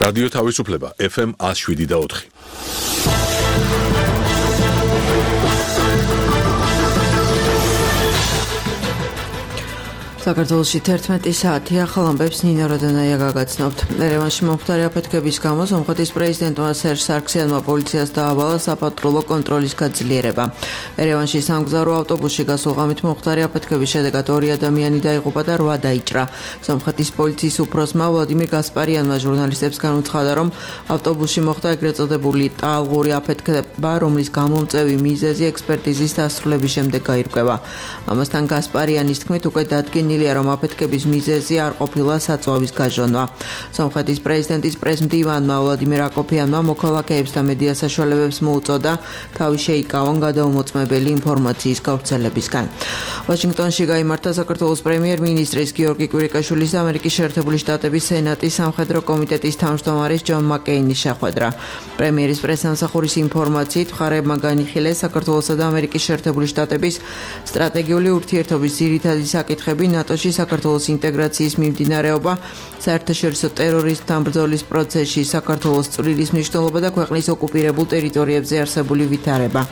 რადიო თავისუფლება FM 107.4. საქართველოში 11 საათი ახალ ამბებს ნინო როდონაია გაგაცნობთ. ერევანში მომხდარი აფეთქების გამო სომხეთის პრეზიდენტმა სერჟ სარქსიანმა პოლიციას დაავალა საპატრულო კონტროლის გაძლიერება. ერევანში სამგზავრო ავტობუსში გასულ ღამით მომხდარი აფეთქების შედეგად 2 ადამიანი დაიღუპა და 8 დაიჭრა. სომხეთის პოლიციის უფროსმა ვლადიმირ გასპარიანმა ჟურნალისტებს განუცხადა, რომ ავტობუსში მოხდა ეგრეთ წოდებული ტალღური აფეთქება, რომლის გამომწვევი მიზეზი ექსპერტიზის დასრულების შემდეგ გაირკვევა. ამასთან გასპარიანის თქმით, უკვე დადგენილია, რომ აფეთქების მიზეზი არ ყოფილა საწვავის გაჟონვა. სომხეთის პრეზიდენტის პრესმდივანმა ვლადიმირ აკოფიანმა მოქალაქეებს და მედია საშუალებებს მოუწოდა თავი შეიკავონ გადაუმოწმებელი ინფორმაციის გავრცელებისგან. ვაშინგტონში გაიმართა საქართველოს პრემიერ-მინისტრის გიორგი კვირიკაშვილის და ამერიკის შეერთებული შტატების სენატის სამხედრო კომიტეტის თავმჯდომარის ჯონ მაკეინის შეხვედრა. პრემიერის პრესსამსახურის ინფორმაციით, მხარეებმა განიხილეს საქართველოსა და ამერიკის შეერთებული შტატების სტრატეგიული ურთიერთობის ძირითადი საკითხები, ნატოში საქართველოს ინტეგრაციის მიმდინარეობა, საერთაშორისო ტერორიზმთან ბრძოლის პროცესში საქართველოს წვლილის მნიშვნელობა და ქვეყნის ოკუპირებულ ტერიტორიებზე არსებული ვითარება.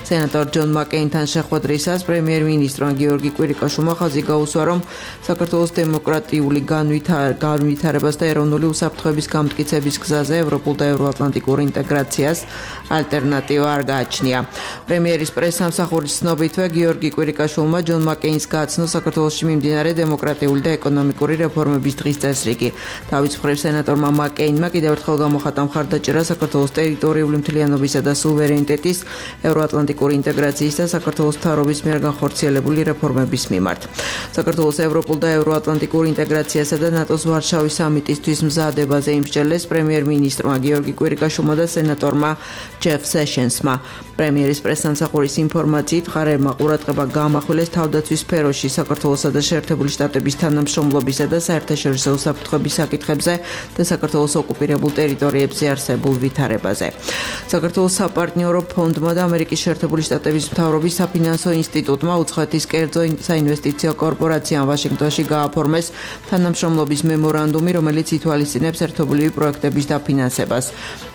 სენატორ ჯონ მაკეინთან შეხვედრისას პრემიერ-მინისტრმა გიორგი კვირიკაშვილმა ხაზი გაუსვა, რომ საქართველოს დემოკრატიული განვითარებას და ეროვნული უსაფრთხოების გამტკიცების გზაზე ევროპულ და ევროატლანტიკურ ინტეგრაციას ალტერნატივა არ გააჩნია. პრემიერის პრესსამსახურის ცნობითვე გიორგი კვირიკაშვილმა ჯონ მაკეინს გააცნო საქართველოში მიმდინარე დემოკრატიული და ეკონომიკური რეფორმების დღის წესრიგი. თავის მხრივ სენატორმა მაკეინმა კიდევ ერთხელ გამოხატა მხარდაჭერა საქართველოს ტერიტორიული მთლიანობისა და სუვერენიტეტის, ევროატლანტიკური ინტეგრაციის და საქართველოს მთავრობის მიერ განხორციელებული რეფორმების მიმართ. საქართველოს ევროპულ და ევროატლანტიკურ ინტეგრაციასა და ნატოს ვარშავის სამიტისთვის მზადებაზე იმსჯელეს პრემიერ-მინისტრმა გიორგი კვირიკაშვილმა და სენატორმა ჯეფ სეშენსმა. პრემიერის პრესსამსახურის ინფორმაციით, მხარეებმა ყურადღება გაამახვილეს თავდაცვის სფეროში საქართველოსა და შეერთებული შტატების თანამშრომლობისა და საერთაშორისო უსაფრთხოების საკითხებზე და საქართველოს ოკუპირებულ ტერიტორიებზე არსებულ ვითარებაზე. საქართველოს საპარტნიორო ფონდმა და ამერიკის შეერთებული შტატების მთავრობის საფინანსო ინსტიტუტმა უცხოეთის კერძო საინვესტიციო კორპორაციამ ვაშინგტონში გააფორმეს თანამშრომლობის მემორანდუმი, რომელიც ითვალისწინებს ერთობლივი პროექტების დაფინანსებას.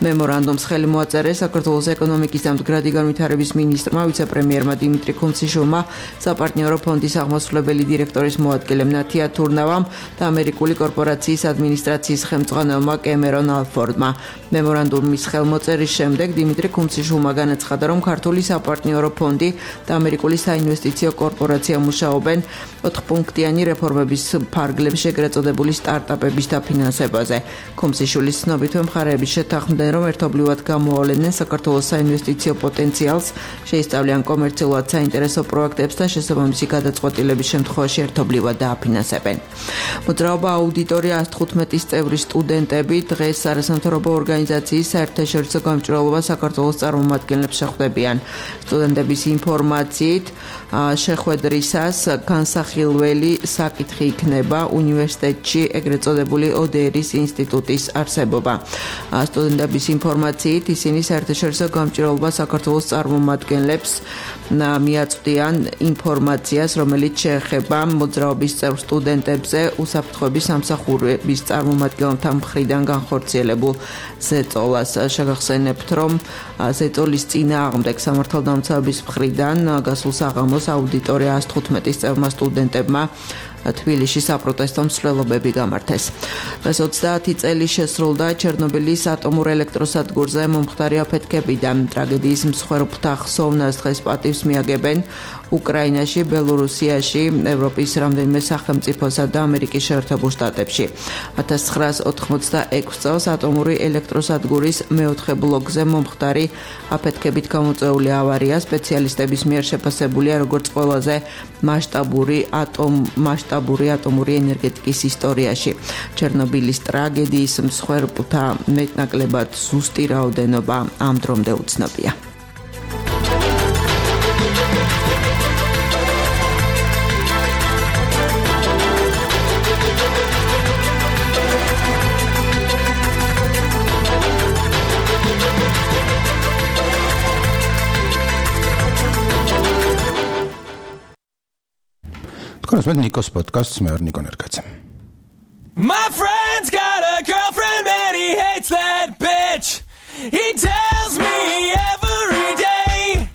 მემორანდუმს ხელი მოაწერეს საქართველოს ეკონომიკის და მდგრადი განვითარების მინისტრმა, ვიცე-პრემიერმა დიმიტრი ქუმციშვილმა, საპარტნიორო ფონდის აღმასრულებელი დირექტორის მოადგილემ ნათია თურნავამ და ამერიკული კორპორაციის ადმინისტრაციის ხელმძღვანელმა კემერონ ალფორდმა. მემორანდუმის ხელმოწერის შემდეგ დიმიტრი ქუმციშვილმა განაცხადა, რომ ქართული საპარტნიორო ფონდი და ამერიკული საინვესტიციო კორპორაცია მუშაობენ 4-პუნქტიანი რეფორმების ფარგლებში ეგრეთ წოდებული სტარტაპების დაფინანსებაზე. ქუმციშვილის ცნობითვე მხარეები შეთანხმდნენ, რომ ერთობლივად გამოავლენენ საქართველოს საინვესტიციო პოტენციალს, შეისწავლიან კომერციულად საინტერესო პროექტებს და შესაბამისი გადაწყვეტილების შემთხვევაში ერთობლივად დააფინანსებენ. მოძრაობა აუდიტორია 115 წევრის სტუდენტები დღეს არასამთავრობო ორგანიზაციის საერთაშორისო გამჭვირვალობა საქართველოს წარმომადგენლებს შეხვდებიან. სტუდენტების ინფორმაციით, შეხვედრისას განსახილველი საკითხი იქნება უნივერსიტეტში ეგრეთ წოდებული ODR-ის ინსტიტუტის არსებობა. სტუდენტების ინფორმაციით, ისინი საერთაშორისო გამჭვირვალობა საქართველოს წარმომადგენლებს მიაწვდიან ინფორმაციას, რომელიც შეეხება მოძრაობის წევრ სტუდენტებზე უსაფრთხოების სამსახურების წარმომადგენელთა მხრიდან განხორციელებულ ზეწოლას. შეგახსენებთ, რომ ზეწოლის წინააღმდეგ სამართალდამცავების მხრიდან გასულ საღამოს აუდიტორია 115 წევრმა სტუდენტებმა თბილისში საპროტესტო მსვლელობები გამართეს. დღეს 30 წელი შესრულდა ჩერნობილის ატომურ ელექტროსადგურზე მომხდარი აფეთქებიდან. ტრაგედიის მსხვერპლთა ხსოვნას დღეს პატივს მიაგებენ უკრაინაში, ბელორუსიაში, ევროპის რამდენიმე სახელმწიფოსა და ამერიკის შეერთებულ შტატებში. 1986 წელს ატომური ელექტროსადგურის მეოთხე ბლოკზე მომხდარი აფეთქებით გამოწვეული ავარია სპეციალისტების მიერ შეფასებულია როგორც ყველაზე მასშტაბური ატომური ენერგეტიკის ისტორიაში. ჩერნობილის ტრაგედიის მსხვერპლთა მეტნაკლებად ზუსტი რაოდენობა ამ დრომდე უცნობია. Konusmet Nikos podcasts me Niko Nerkadze. My friend's got a girlfriend and he hates that He tells me every day.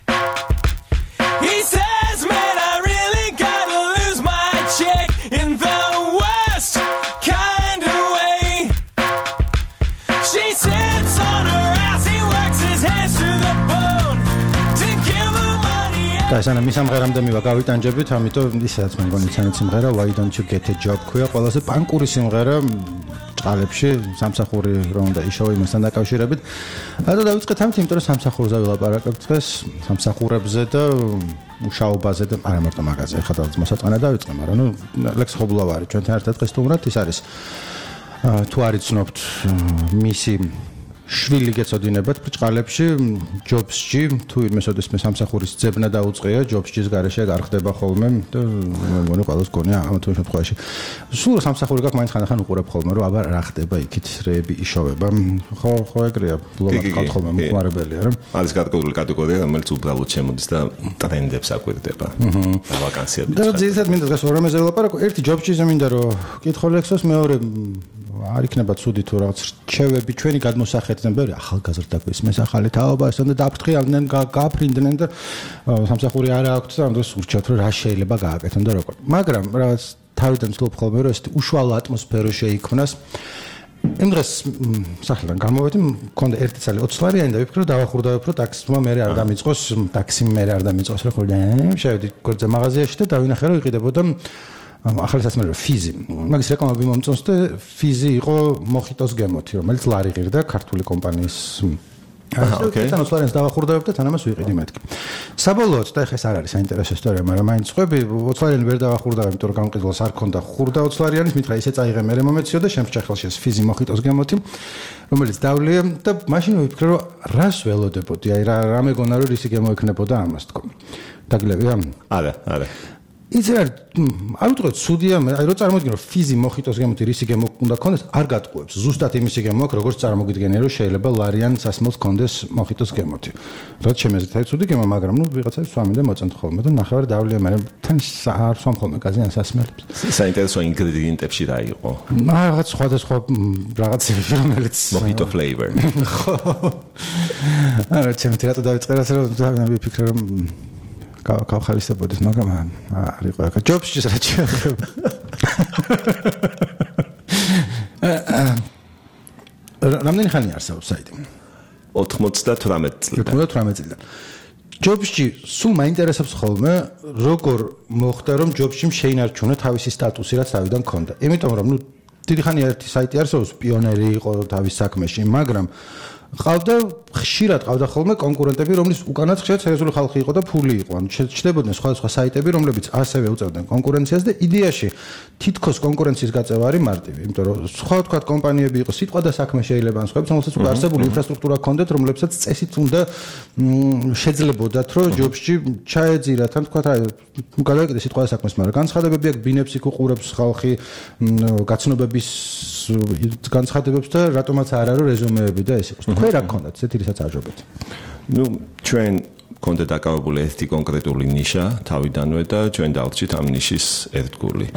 He says, man, I really gotta lose my chick in the worst kind of way. She sits on her ass, he works his hands to the bone to give her money. და ესანა მისამღერამდე მივა გავიტანჯებით, ამიტომ ისაც მე მგონი ცანაც სიმღერა Why Don't You Get a Job ქვია, ყველაზე პანკური სიმღერა ჭყალებში, სამსახური რომ უნდა იშოვო იმასთან დაკავშირებით. და დავიწყეთ ამით, იმიტომ რომ სამსახურზე ვილაპარაკებთ დღეს, სამსახურებზე და მუშაობაზე და არა მარტო მაგაზე, ხა დავიწყე მოსაწყენა დავიწყე, მაგრამ ნუ ლექს ხობლავარი ჩვენთან ერთად დღეს თუმრად ის არის თუ არ იცნობთ მისი შვილი გეწოდინებათ ბრჭყალებში ჯობსში თუ იმესოდეს მე სამსახურის ძებნა დაუწყია ჯობსის გარეშე გარხდება ხოლმე და მე მგონი ყველას გონია ამ თუ შემთხვევაში სულ სამსახური გაქვს მაინც ხანდახან უყურებ ხოლმე რომ აბა რა ხდება იქით რეები იშოვება ხო ეგრეა ბლოგად გქონდა მოხმარებელია რა არის კატეგორიული კატეგორია რომელიც უბრალოდ შემოდის და ტრენდებს აკვირდება ვაკანსიები და ძირითადად მინდა დღეს ორამეზე ვილაპარაკო ერთი ჯობსში მინდა რომ კითხო ლექსოს მეორე არ იქნება ცუდი თუ რაღაც რჩევები ჩვენი გადმოსახედიდან ბევრი ახალგაზრდა გვისმეს ახალი თაობა ესონ და დაფრთხილდნენ გაფრინდნენ და სამსახური არ აქვს და ამ დროს ურჩევთ რომ რა შეიძლება გააკეთონ და როგორ მაგრამ რაღაც თავიდან ვცდილობ ხოლმე რომ ეს უშუალო ატმოსფერო შეიქმნას იმ დღეს სახლიდან გამოვედი მქონდა ერთი წელი 20 ლარიანი და ვიფიქრე რომ დავახურდავებ რომ ტაქსმა მე არ დამიწყოს ტაქსი მე არ დამიწყოს რა ხოლმე შევედი გორზე მაღაზიაში და დავინახე რომ იყიდებოდა ახალი სასმელო ფიზი. მაგის რეკლამები მომწონს და ფიზი იყო მოხიტოს გემოთი, რომელიც ლარი ღირდა ქართული კომპანიის. ოკეი. თან 20 ლარიანს დავახურდავებ და თან ამას ვიყიდი მეთქი. საბოლოოდ და ეხა ეს არ არის საინტერესო ისტორია, მაგრამ მაინც ხვები 20 ლარიანი ვერ დავახურდავებ, იმიტომ რომ გამყიდველს არ ქონდა ხურდა 20 ლარიანის, მითხრა ისე წაიღე მე მომეციო და შემჭა ხელში ეს ფიზი მოხიტოს გემოთი, რომელიც დავლია და მაშინ ვიფიქრე რომ რას ველოდებოდი, აი რა მეგონა რომ ისი გემოექნებოდა ამას თქო. დაგილებია? არა. იცი არ ვიტყოდ ცუდია აი რო წარმოგიდგენ რომ ფიზი მოხიტოს გემოთი რისი გემო უნდა ქონდეს არ გატყუებს ზუსტად იმისი გემო აქვს როგორც წარმოგიდგენია რომ შეიძლება ლარიან სასმელს ქონდეს მოხიტოს გემოთი რაც შემეზეთ ცუდი გემო მაგრამ ნუ ვიღაცას სვამენ და მოწონთ ხოლმე და ნახევარი დავლია მე თან არ სვამ ხოლმე გაზიან სასმელებს საინტერესო ინგრედიენტებში რა იყო რაღაც სხვადასხვა რაღაცები რომელიც მოხიტო flavor ხო არა ჩემთვის რატო დავიწყე რასაც რომ ვიფიქრე რომ გავხალისებოდეს, მაგრამ არ იყო აქ ჯობსში რაც შეეხება. რამდენი ხანი არსებობს საიტი? 98 წლიდან. 98 წლიდან. ჯობსში სულ მაინტერესებს ხოლმე, როგორ მოხდა რომ ჯობსში შეინარჩუნა თავისი სტატუსი, რაც თავიდან ჰქონდა. იმიტომ რომ ნუ დიდი ხანია ერთი საიტი არსებობს, პიონერი იყო თავის საქმეში, მაგრამ ყავდა ხშირად ყავდა ხოლმე კონკურენტები, რომლის უკანაც ხშირად სერიოზული ხალხი იყო და ფული იყო. ანუ ჩნდებოდნენ სხვადასხვა საიტები, რომლებიც ასევე უწევდნენ კონკურენციას და იდეაში თითქოს კონკურენციის გაწევა არის მარტივი, იმიტომ რომ სხვა თქვა კომპანიები იყო, სიტყვა და საქმე შეიძლება ან სხვაებს, რომელსაც უკვე არსებული ინფრასტრუქტურა ჰქონდათ, რომლებსაც წესით უნდა შეძლებოდათ, რომ ჯობსში ჩაეძირათ, ან თქვა გადაეკიდე სიტყვა და საქმეს, მაგრამ განცხადებები აქვს, ბინებს იქ უყურებს ხალხი, გაცნობების განცხადებებს და რატომაც არ არის რეზუმეები და ეს იყოს. თქვენ რა გქონდათ ესეთი რისაც აჯობეთ? ნუ ჩვენ კონდა დაკავებული ერთი კონკრეტული ნიშა თავიდანვე და ჩვენ დავჭით ამ ნიშის ერთგული.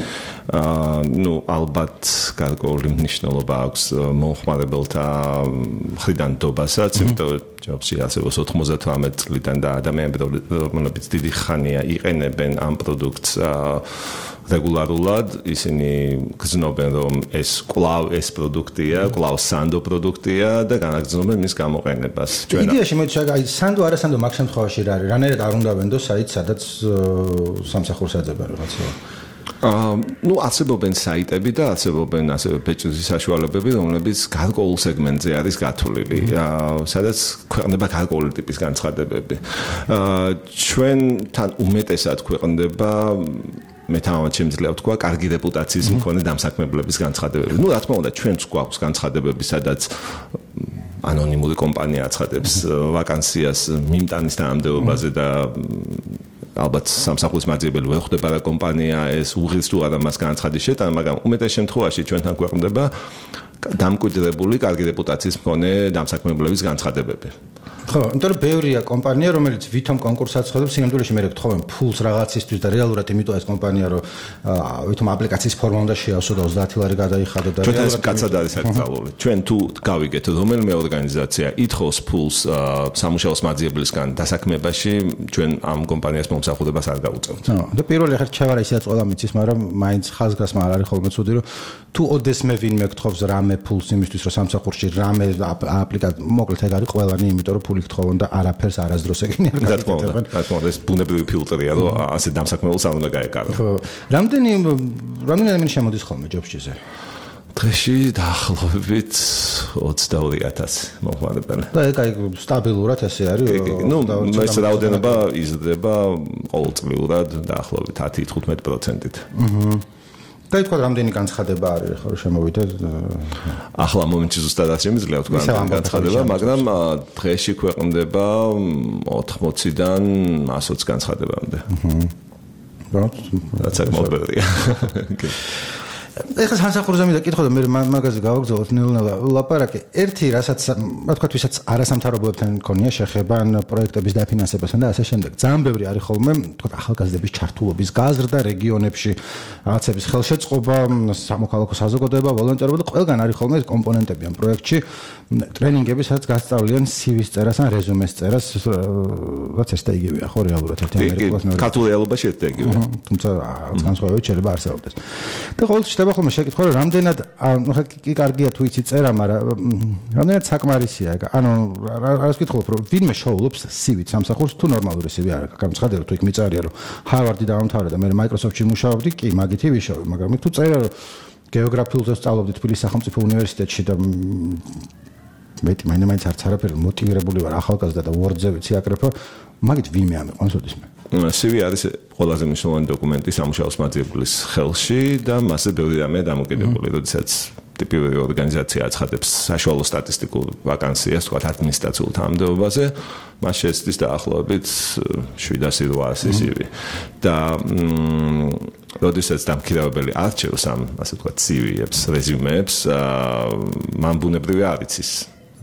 ნუ ალბათ გარკვეული მნიშვნელობა აქვს მომხმარებელთა მხრიდან დობასაც, იმიტომ რომ ჯობსში არსებობს 98 წლიდან და ადამიანები რომლებიც დიდი ხანია იყენებენ ამ პროდუქტს რეგულარულად ისინი გრძნობენ რომ ეს კვლავ ეს პროდუქტია, კვლავ სანდო პროდუქტია და განაგრძნობენ მის გამოყენებას. იდეაში მოიცა აი სანდო არა სანდო მაგ შემთხვევაში რა არის? რანაირად არ უნდა ვენდო საიტს, სადაც სამსახურს აძებენ რაღაცა. ნუ არსებობენ საიტები და არსებობენ ასევე ბეჭდის საშუალებები, რომლებიც გარკვეულ სეგმენტზე არის გათვლილი, სადაც ქვეყნდება გარკვეული ტიპის განცხადებები. ჩვენთან უმეტესად ქვეყნდება მე თავად შემიძლია ვთქვა, კარგი რეპუტაციის მქონე დამსაქმებლების განცხადებები. ნუ რა თქმა უნდა, ჩვენც გვაქვს განცხადებები, სადაც ანონიმური კომპანია აცხადებს ვაკანსიას მიმტანის თანამდებობაზე და ალბათ სამსახურის მაძიებელი ვერ ხვდება რა კომპანია ეს უღირს თუ არა მას განაცხადის შეტანა, მაგრამ უმეტეს შემთხვევაში ჩვენთან ქვეყნდება დამკვიდრებული კარგი რეპუტაციის მქონე დამსაქმებლების განცხადებები. ხო, იმიტომ რომ ბევრია კომპანია, რომელიც ვითომ კონკურსს აცხადებს, სინამდვილეში მე გთხოვენ ფულს რაღაცისთვის და რეალურად იმიტომ ეს კომპანია რომ ვითომ აპლიკაციის ფორმა უნდა შეავსო და 30 ლარი გადაიხადო და ჩვენ ეს კაცად არის აკრძალული. ჩვენ თუ გავიგეთ რომელიმე ორგანიზაცია ითხოვს ფულს სამუშაოს მაძიებლისგან დასაქმებაში, ჩვენ ამ კომპანიას მომსახურებას არ გავუწევთ. და პირველი ხერ ჩავარა ისეაც ყველა მიცის, მაგრამ მაინც ხაზგასმა არ არის ხოლმე ცუდი, რომ თუ ოდესმე ვინმე გთხოვს რამე ფულს იმისთვის, რომ სამსახურში რამე აპლიკაცია მოკლედ ეგ არის ყველანი, იმიტომ რომ ფული გთხოვონ და არაფერს არასდროს ეგენი არ გაკეთებენ. რა თქმა უნდა, ეს ბუნებრივი ფილტრია, რომ ასე დამსაქმებელს არ უნდა გაეკარო. ხო, რამდენი ადამიანი შემოდის ხოლმე ჯობსჭიზე? დღეში დაახლოებით 22,000 მოხმარებელი. და ეგ აი სტაბილურად ესე არის. ნუ ეს რაოდენობა იზრდება ყოველწლიურად დაახლოებით 10-15%-ით. და თქვა რამდენი განცხადება არის ხო შემოვიდეთ? ახლა მომენტში ზუსტად არ შემიძლია თქვა რამდენი განცხადება, მაგრამ დღეში ქვეყნდება 80-დან 120 განცხადებამდე. რაც საკმაოდ ბევრია. ეხლა სამსახურზე მინდა კითხო და მე მაგაზე გავაგზავნოთ ნელ-ნელა ლაპარაკი. ერთი რასაც რა თქვა ვისაც არასამთავრობოებთან მქონია შეხება ან პროექტების დაფინანსებასთან და ასე შემდეგ. ძალიან ბევრი არის ხოლმე თქვა ახალგაზრდების ჩართულობის გაზრდა რეგიონებში, რაღაცების ხელშეწყობა, სამოქალაქო საზოგადოება, ვოლონტერობა და ყველგან არის ხოლმე ეს კომპონენტები ამ პროექტში, ტრენინგები, სადაც გასწავლიან CV-ს წერას ან რეზუმეს წერას, რაც ეს და იგივეა ხო რეალურად ერთი ამერიკულას მეორე. ქართულ რეალობაში ერთ და იგივეა. თუმცა განსხვავებებით შეიძლება არსებობდეს. და ყოველთვის ხდება ხოლმე შეკითხვა, რომ რამდენად ხა კი კარგია თუ იცი წერა, მაგრამ რამდენად საკმარისია ეგ. ანუ რას ვკითხულობ, რომ ვინმე შოულობს CV-თ სამსახურს თუ ნორმალური CV არ აქვს. გამცხადე რომ თუ იქ მიწერია, რომ ჰარვარდი დაამთავრე და მე Microsoft-ში მუშაობდი, კი, მაგითი ვიშოვე, მაგრამ იქ თუ წერია, რომ გეოგრაფიულზე სწავლობდი თბილისის სახელმწიფო უნივერსიტეტში და მაინც არც არაფერი მოტივირებული ვარ ახალგაზრდა და Word-ზე ვიცი აკრეფო, მაგით ვინმე ამიყვანს ოდესმე. CV არის ყველაზე მნიშვნელოვანი დოკუმენტი სამუშაოს მაძიებლის ხელში და მასზე ბევრი რამეა დამოკიდებული, როდესაც ტიპიური ორგანიზაცია აცხადებს საშუალო სტატისტიკურ ვაკანსიას, თქვათ ადმინისტრაციულ თანამდებობაზე, მას შეეცდის დაახლოებით 700-800 CV. და როდესაც დამქირავებელი არჩევს ამ, ასე ვთქვათ, CV-ებს, რეზიუმეებს, მან ბუნებრივი არ იცის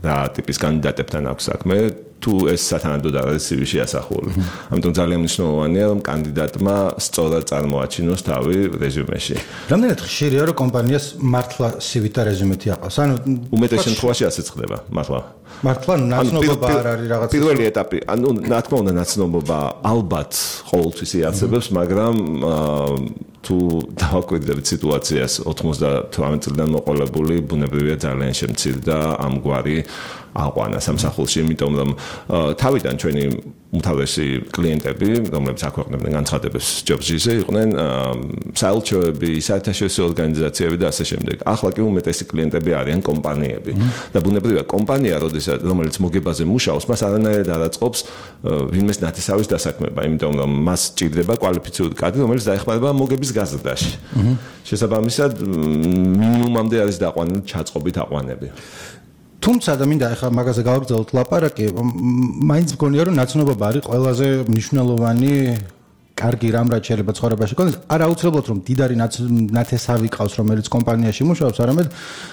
რა ტიპის კანდიდატებთან აქვს საქმე, თუ ეს სათანადოდ არ არის CV-ში ასახული. ამიტომ ძალიან მნიშვნელოვანია, რომ კანდიდატმა სწორად წარმოაჩინოს თავი რეზიუმეში. რამდენად ხშირია, რომ კომპანიას მართლა CV-თ და რეზიუმეთი აყავს? ანუ უმეტეს შემთხვევაში ასეც ხდება, მართლა. მართლა ნაცნობობა არ არის რაღაც პირველი ეტაპი, ანუ რა თქმა უნდა ნაცნობობა ალბათ ყოველთვის იარსებებს, მაგრამ თუ დავაკვირდებით სიტუაციას 98 წლიდან მოყოლებული ბუნებრივია ძალიან შემცირდა ამგვარი აყვანა სამსახურში, იმიტომ რომ თავიდან ჩვენი უმთავრესი კლიენტები, რომლებიც აქვეყნებდნენ განცხადებებს ჯობსჯიზე, იყვნენ საელჩოები, საერთაშორისო ორგანიზაციები და ასე შემდეგ. ახლა კი უმეტესი კლიენტები არიან კომპანიები. და ბუნებრივია კომპანია, რომელიც მოგებაზე მუშაობს, მას არანაირად არ აწყობს ვინმეს ნათესავის დასაქმება, იმიტომ რომ მას ჭირდება კვალიფიციური კადრი, რომელიც დაეხმარება მოგების გაზრდაში. შესაბამისად, მინიმუმამდე არის დაყვანილი ჩაწყობით აყვანები. თუმცა და მინდა ახლა მაგაზე გავაგზავნოთ ლაპარაკი, მაინც მგონია რომ ნაცნობობა არის ყველაზე მნიშვნელოვანი კარგი რამ რაც შეიძლება ცხოვრებაში გქონდეს, არა აუცილებლად რომ დიდარი ნათესავი ყავს, რომელიც კომპანიაში მუშაობს, არამედ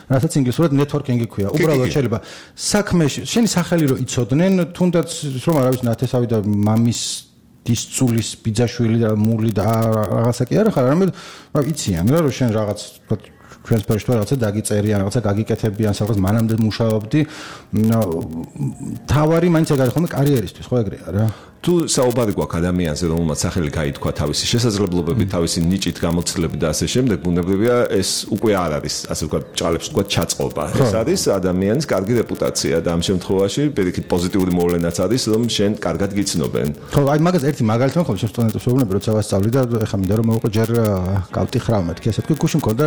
რასაც ინგლისურად networking-ი ქვია. უბრალოდ შეიძლება საქმეში შენი სახელი რო იცოდნენ, თუნდაც რომ არ არის ნათესავი და მამის დისწულის ბიძაშვილი და მული და რაღაცა კი არა ხარ, არამედ რა იციან რა რომ შენ რაღაც ჩვენს პერიოდში რაღაცა დაგიწერიან, რაღაცა გაგიკეთებიან, სადღაც მანამდე მუშაობდი. თავარი მაინც ეგ არის ხოლმე კარიერისთვის, ხო ეგრეა რა. თუ საუბარი გვაქვს ადამიანზე, რომელმაც სახელი გაითქვა თავისი შესაძლებლობებით, თავისი ნიჭით, გამოცდილებით და ასე შემდეგ, ბუნებრივია ეს უკვე არ არის, ასე ვთქვათ, ჭალებს ვთქვათ, ჩაწყობა. ეს არის ადამიანის კარგი რეპუტაცია და ამ შემთხვევაში პირიქით პოზიტიური მოვლენაც არის, რომ შენ კარგად გიცნობენ. ხო, აი მაგას ერთი მაგალითი მქონდა სტუდენტებს ვეუბნები, როცა ვასწავლი და ეხლა მინდა რომ მოვიყო ჯერ გავტიხრა მეთქი, ასე ვთქვი, გუშინ მქონდა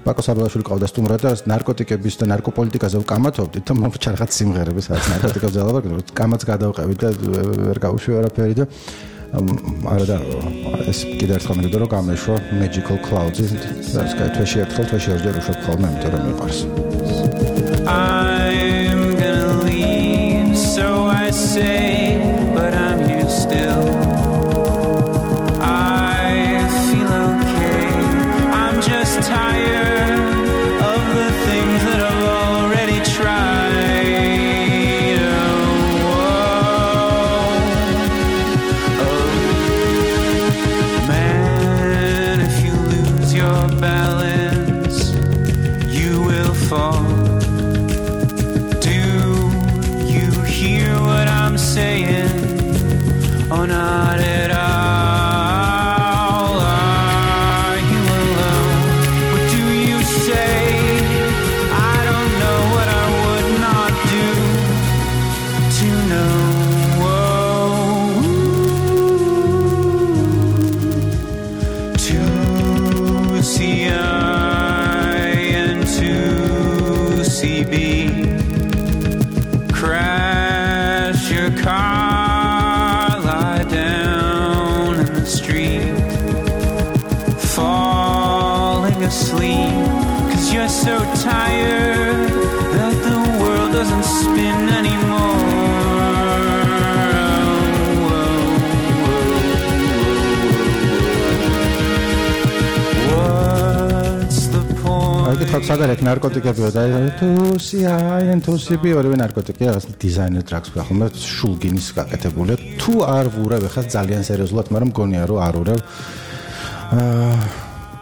ბაკო საბალაშვილი ყავდა სტუმრად და ნარკოტიკების და ნარკოპოლიტიკაზე ვკამათობდით და მომრჩა რაღაც სიმღერები, სადაც ნარკოტიკებზე ალაპარაკობთ, კამაც გადავყევით და ვერ გავუშვი არაფერი და არა და ეს კიდე ერთხელ მინდოდა რომ გამეშვა Magical Clouds-ი, რაც თვეში ერთხელ, თვეში ორჯერ უშვებ ხოლმე, იმიტომ რომ მიყვარს. I'm gonna leave, so I say, but I'm here still. I feel okay, I'm just tired of the things that I've already tried. Oh, so tired that the world doesn't spin anymore. What's the point? აი კითხავთ სად არის ნარკოტიკებიო და თუსი ორივე ნარკოტიკია დიზაინერ ტრაქს ხომ შულგინის გაკეთებული თუ არ ვურებ ხა ძალიან სერიოზულად მაგრამ მგონია რომ არ ვურებ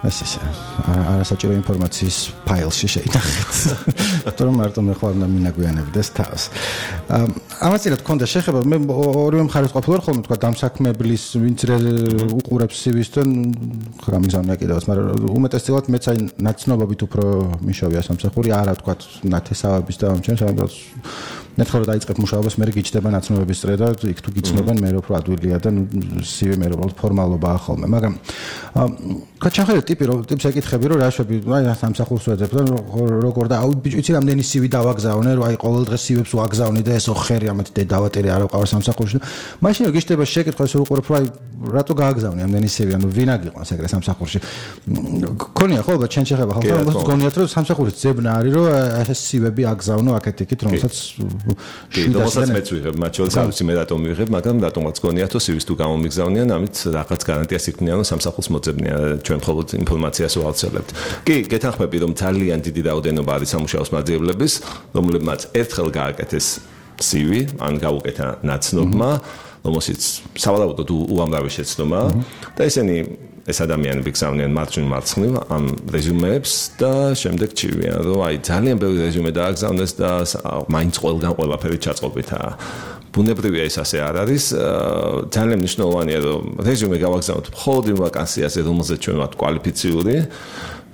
ეს არასაჭირო ინფორმაციის ფაილში შეიტანხეთ. თორემ მარტო მე ხوار უნდა მინაგვიანებდეს თავს. ამასწილად ქონდა შეხება მე ორივე მხარეს ყოფილვარ ხოლმე თქვა დამსაქმებლის ვინც უყურებს CV-ს და გამიგზავნია კიდევაც, მაგრამ უმეტესწილად მეც აი ნაცნობობით უფრო მიშოვია სამსახური, არა თქვა ნათესავების და ამჩენს, მაგრამ ნახე რომ დაიწყებ მუშაობას, მე გიჩდება ნაცნობების წრე და იქ თუ გიცნობენ მე უფრო ადვილია და CV მე უფრო ფორმალობაა ხოლმე, მაგრამ გაჩაღერე ტიპს ეკითხები რომ რა შვები, აი სამსახურს ვეძებ და როგორ და აუ ბიჭო იცი რამდენი CV დავაგზავნე, რომ აი ყოველ დღე CV-ს ვაგზავნე და ესო ხერი ამათ დავატერი არ ვიყავ სამსახურში. მაშინ გიჩდება შეკითხვა ეს უყურებ რომ აი რატო გააგზავნე ამდენი CV, ანუ ვინ აგიყვანს ეგრე სამსახურში. გქონია ხო და ჩენ შეხება ხალხს რომ გონიათ რომ სამსახურის ძებნა არის რომ ეს CV-ები აგზავნო აქეთ-იქით რომელსაც შედასაც მეც ვიღებ, მათ შორის ავიცი მე რატომ ვიღებ, მაგრამ რატომაც გონიათ რომ CV-ს თუ გამომიგზავნიან, ამით რაღაც გარანტიას იქნიან რომ სამსახურს მოძებნიან, ჩვენ მხოლოდ ინფორმაციას ვავრცელებთ. კი, გეთანხმები რომ ძალიან დიდი რაოდენობა არის სამუშაოს მაძიებლების, რომლებმაც ერთხელ გააკეთეს CV, ან გაუკეთა ნაცნობმა, რომელშიც სავარაუდოდ უამრავი შეცდომა და ესენი ეს ადამიანები გზავნიან მარჯვნივ მარცხნივ ამ რეზიუმეებს და შემდეგ ჩივიან რომ აი ძალიან ბევრი რეზიუმე დააგზავნეს და მაინც ყველგან ყველაფერი ჩაწყობითაა. ბუნებრივია ეს ასე არ არის. ძალიან მნიშვნელოვანია რომ რეზიუმე გავაგზავნოთ მხოლოდ იმ ვაკანსიაზე, რომელზეც ჩვენ ვართ კვალიფიციური.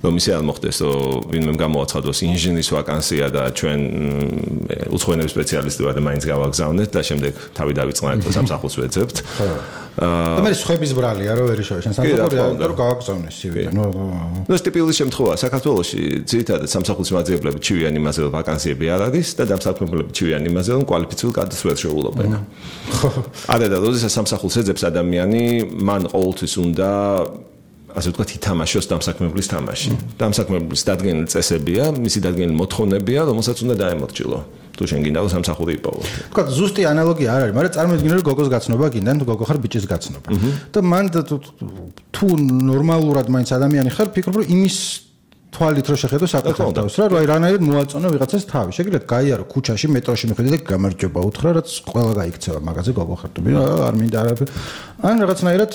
რომ ისე არ მოხდეს, რომ ვინმე გამოაცხადოს ინჟინრის ვაკანსია და ჩვენ უცხოენების სპეციალისტი ვართ და მაინც გავაგზავნეთ და შემდეგ თავი დავიწყნარეთ და სამსახურს ვეძებთ. და მე სხვების ბრალია რომ ვერ იშოვე შენ სამსახურია რომ გავაგზავნე CV. ნუ ეს ტიპიური შემთხვევაა საქართველოში ძირითადად სამსახურის მაძიებლები ჩივიან იმაზე რომ ვაკანსიები არ არის და დამსაქმებლები ჩივიან იმაზე რომ კვალიფიციური კადრს ვერ შეუღლობენ. არა და როდესაც სამსახურს ეძებს ადამიანი, მან ყოველთვის უნდა ასე ვთქვათ, ითამაშოს დამსაქმებლის თამაში. დამსაქმებლის დადგენილი წესებია, მისი დადგენილი მოთხოვნებია, რომელსაც უნდა დაემორჩილო. თუ შენ გინდა რომ სამსახური იპოვო. თქვა ზუსტი ანალოგია არ არის, მაგრამ წარმოიდგინე რომ გოგოს გაცნობა გინდა, თუ გოგო ხარ ბიჭის გაცნობა. და მან თუ ნორმალურად მაინც ადამიანი ხარ, ფიქრობ რომ იმის თვალით რო შეხედო საკუთარ თავს რა, აი რანაირად მოაწონო ვიღაცას თავი. შეგიძლიათ გაიარო ქუჩაში, მეტროში მიხედე და გამარჯობა უთხრა, რაც ყველა გაიქცევა მაგაზე გოგო ხარ თუ არ მინდა არაფერი. ან რაღაცნაირად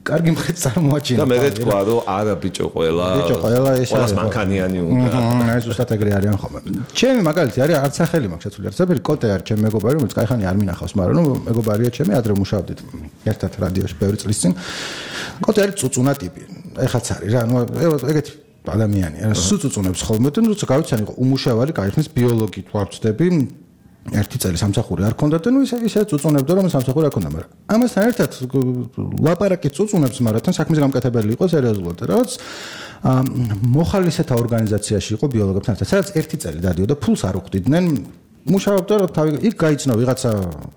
კარგი მხეც წარმოაჩინა. და მე ვთქვა რომ არა ბიჭო ყველა ეს არის მანქანიანი უნდა. აი ზუსტად ეგრე არიან ხოლმე. ჩემი მაგალითი არის არც სახელი მაქვს შეცვლილი. არცაფერი კოტე არის ჩემი მეგობარი, რომელიც кайხანი არ მინახავს, მაგრამ ნუ მეგობარია ჩემი, ადრე მუშაობდით ერთად რადიოში ბევრი წლის წინ. კოტე არის წუწუნა ტიპი. ეხაც არის რა, ნუ ეგეთი ადამიანია. სუწუწუნებს ხოლმე და ნუ გავიცანი უმუშავარი кайხნის ბიოლოგით ვარწდები. ერთი წელი სამსახური არ ქონდა და ნუ ისე წუწუნებდა რომ სამსახური არ ქონდა, მაგრამ ამასთან ერთად ლაპარაკი წუწუნებს, მაგრამ თან საქმის გამკეთებელი იყო სერიოზულად. რაღაც მოხალისეთა ორგანიზაციაში იყო ბიოლოგებთან ერთად, სადაც ერთი წელი დადიოდა, ფულს არ უხდიდნენ. მუშაობდა რომ თავი იქ გაიცნო ვიღაცა,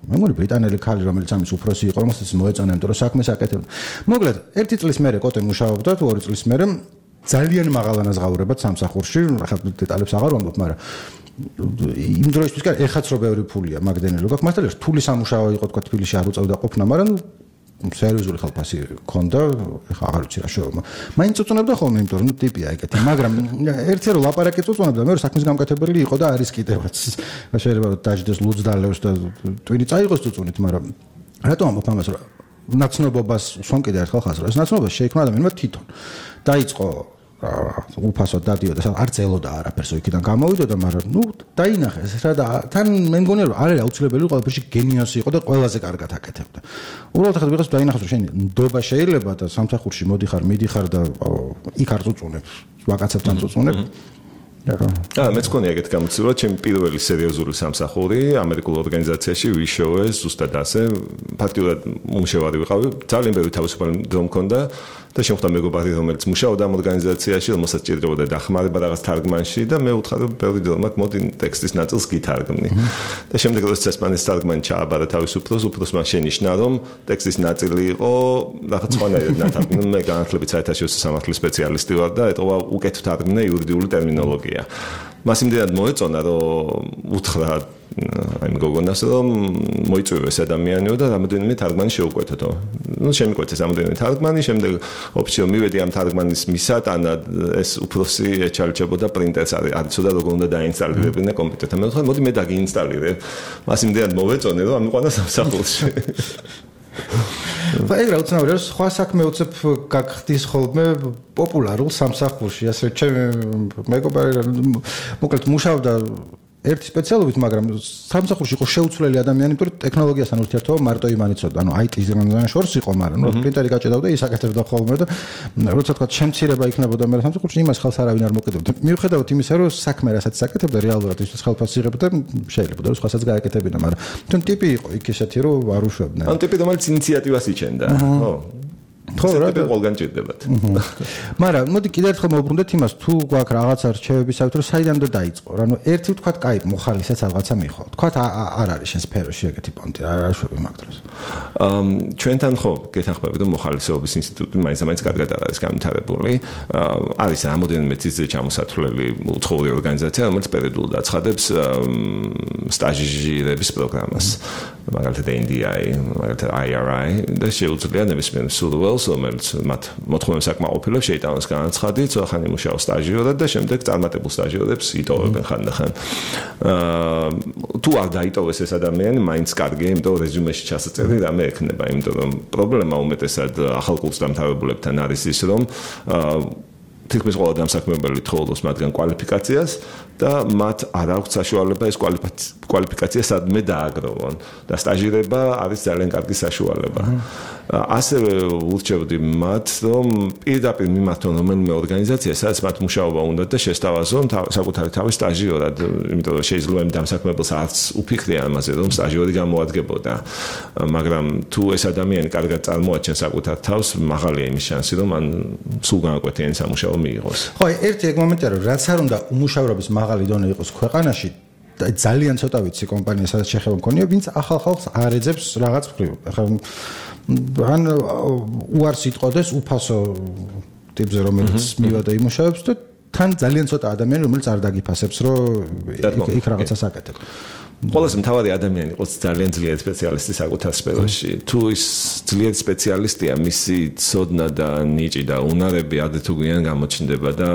მე მგონი ბრიტანელი ქალი, რომელიც ამის უფროსი იყო, რომელსაც მოეწონებდა რომ საქმეს აკეთებდა. მოკლედ, ერთი წლის მერე კოტე მუშაობდა, თუ ორი წლის მერე ძალიან მაღალანაზღაურებად სამსახურში, ახლა დეტალებს აღარ ვამბობ, მაგრამ იმ დროისთვის კი ეხაც რო ბევრი ფულია მაგდენელი რო გაქვს, მასთან რთული სამუშაო იყო თქვა თბილისში არ უწევდა ყოფნა, მაგრამ სერიოზული ხალხი ქონდა, ეხა აღარ ვიცი რა შევა. მაინც უწუნებდა ხოლმე, იმიტომ რომ ტიპია ეგეთი, მაგრამ ერთი რო ლაპარაკი უწუნებდა, მე საქმის გამკეთებელი იყო და არის კიდევაც. შეიძლება რომ დაждდეს ლუძდალევს და ტვინი წაიღოს უწუნით, მაგრამ რატომ ამბობ ამას რა? ნაცნობობას უსვამ კიდე ერთხელ ხაზს, ეს ნაცნობა შეიქმნა ადამიანმა თვითონ. დაიწყო უფასოდ დადიოდა, არ წელოდა არაფერს იქიდან გამოვიდოდა, მაგრამ ნუ დაინახეს რა და თან მე მგონია რომ არ არის აუცილებელი ყველაფერში გენიოსი იყო და ყველაზე კარგად აკეთებდა. უბრალოდ ახლა ვიღაც დაინახოს რომ შენ ნდობა შეიძლება და სამსახურში მოდიხარ, მიდიხარ და იქ არ წუწუნებს, ვაკაცებთან წუწუნებ. მეც მქონია ეგეთ გამოცდილება, ჩემი პირველი სერიოზული სამსახური ამერიკულ ორგანიზაციაში ვიშოვე ზუსტად ასე, ფაქტიურად მომშევარი ვიყავი, ძალიან ბევრი თავისუფალი დრო მქონდა და შემხვდა მეგობარი, რომელიც მუშაობდა ამ ორგანიზაციაში, რომელსაც ჭირდებოდა დახმარება რაღაც თარგმანში და მე ვუთხარ, რომ ბევრი დრო მოდი ტექსტის ნაწილს გითარგმნი. და შემდეგ როდესაც ესპანეთის თარგმანი ჩააბარა თავის უფროსმა შენიშნა, რომ ტექსტის ნაწილი იყო რაღაც სხვანაირად ნათარგმნი. მე განათლებით საერთაშორისო სამართლის სპეციალისტი ვარ და ეტყობა უკეთ თარგმნე იურიდიული ტერმინოლოგია. მას იმდენად მოეწონა, რომ უთხრა აი მეგონას რომ მოიწვევეს ადამიანიო და რამოდენიმე თარგმანი შეუკვეთეთო. ნუ შემიკვეთეს რამოდენიმე თარგმანი, შემდეგ ოფიციო მივედი ამ თარგმანის მისატანად ეს უფროსი ეჩალჩებოდა პრინტერს არიცოდა როგორ უნდა დაინსტალირებინა კომპიუტერთან. მე ვთქვი, მოდი მე დაგიინსტალირებ. მას იმდენად მოვეწონე, რომ ამიყვანა სამსახურში. ეგ რა უცნაური არის, სხვა საქმე უცებ გაგხდის ხოლმე პოპულარულ სამსახურში, ასე ჩემი მეგობარი მოკლედ მუშაობდა ერთი სპეციალობით, მაგრამ სამსახურში იყო შეუცვლელი ადამიანი, იმიტომ რომ ტექნოლოგიასთან ურთიერთობა მარტო იმან იცოდა. ანუ IT-ზე შორს იყო, მაგრამ პრინტერი გაჭედავდა, ის აკეთებდა ხოლმე და როცა თქვა შემცირება იქნებოდა მე სამსახურში, იმას ხელს არავინ არ მოკიდებდა. მიუხედავად იმისა, რომ საქმე რასაც აკეთებდა რეალურად ის ხელფასს იღებდა, შეიძლება რომ სხვასაც გააკეთებინა, მაგრამ თუნ ტიპი იყო იქ ესეთი, რომ არ უშვებდნენ. ან ტიპი რომელიც ინიციატივას იჩენდა. ხო, რა ყველგან ჭირდებათ. მაგრამ მოდი კიდევ ერთხელ მოვუბრუნდეთ იმას, თუ გვაქვს რაღაცა რჩევებისათვის, რომ საიდან უნდა დაიწყო. ანუ ერთი ვთქვათ, კაი, მოხალისეც რაღაცა მიხო. ვთქვათ, არ არის შენ სფეროში ეგეთი პონტი, არ შვები მაგ დროს. ჩვენთან ხო, გეთანხმებით, რომ მოხალისეობის ინსტიტუტი მაინც კარგად არ არის განვითარებული. არის რამოდენიმე ციცე ჩამოსათვლელი უცხოური ორგანიზაცია, რომელიც პერიოდულად აცხადებს სტაჟირების პროგრამას. მაგალითად NDI, მაგალითად IRI და შეუძლია ნებისმიერ სურვილს, რომელიც მათ მოთხოვნებს აკმაყოფილებს, შეიტანოს განაცხადი, ხან იმუშაოს სტაჟიორად და შემდეგ წარმატებულ სტაჟიორებს იტოვებენ ხანდახან. თუ არ დაიტოვეს ეს ადამიანი, მაინც კარგია, იმიტომ რომ რეზიუმეში ჩასაწერი რამე ექნება, იმიტომ რომ პრობლემა უმეტესად ახალ კურსს დამთავრებულებთან არის ის, რომ თითქმის ყველა დამსაქმებელი თხოვობს მათგან კვალიფიკაციას და მათ არ აქვს საშუალება ეს კვალიფიკაცია სადმე დააგროვონ და სტაჟირება არის ძალიან კარგი საშუალება. ასევე ურჩევდი მათ, რომ პირდაპირ მიმართონ რომელიმე ორგანიზაცია, სადაც მათ მუშაობა უნდათ და შესთავაზონ საკუთარი თავის სტაჟიორად, იმიტომ რომ შეიძლება იმ დამსაქმებელს არც უფიქრია ამაზე, რომ სტაჟიორი გამოადგებოდა. მაგრამ თუ ეს ადამიანი კარგად წარმოაჩენს საკუთარ თავს, მაღალია იმის შანსი, რომ მან სულ განაკვეთიანი სამუშაო მიიღოს. ხო, ერთი ეგ მომენტია, რომ რაც არ უნდა უმუშავრობის მაღალი დონე იყოს ქვეყანაში, ძალიან ცოტა ვიცი კომპანია, სადაც შეხება მქონია, ვინც ახალ ხალხს არ ეძებს რაღაც მხრივ. ახლა ან უარს იტყოდეს უფასო ტიპზე, რომელიც მივადა იმუშავებს და თან ძალიან ცოტა ადამიანი, რომელიც არ დაგიფასებს, რომ იქ რაღაცას აკეთებს. ყველაზე მთავარი ადამიანი იყოს ძალიან ძლიერი სპეციალისტი საკუთარ სფეროში. თუ ის ძლიერი სპეციალისტია, მისი ცოდნა და ნიჭი და უნარები ადეთუგვიან გამოჩნდება და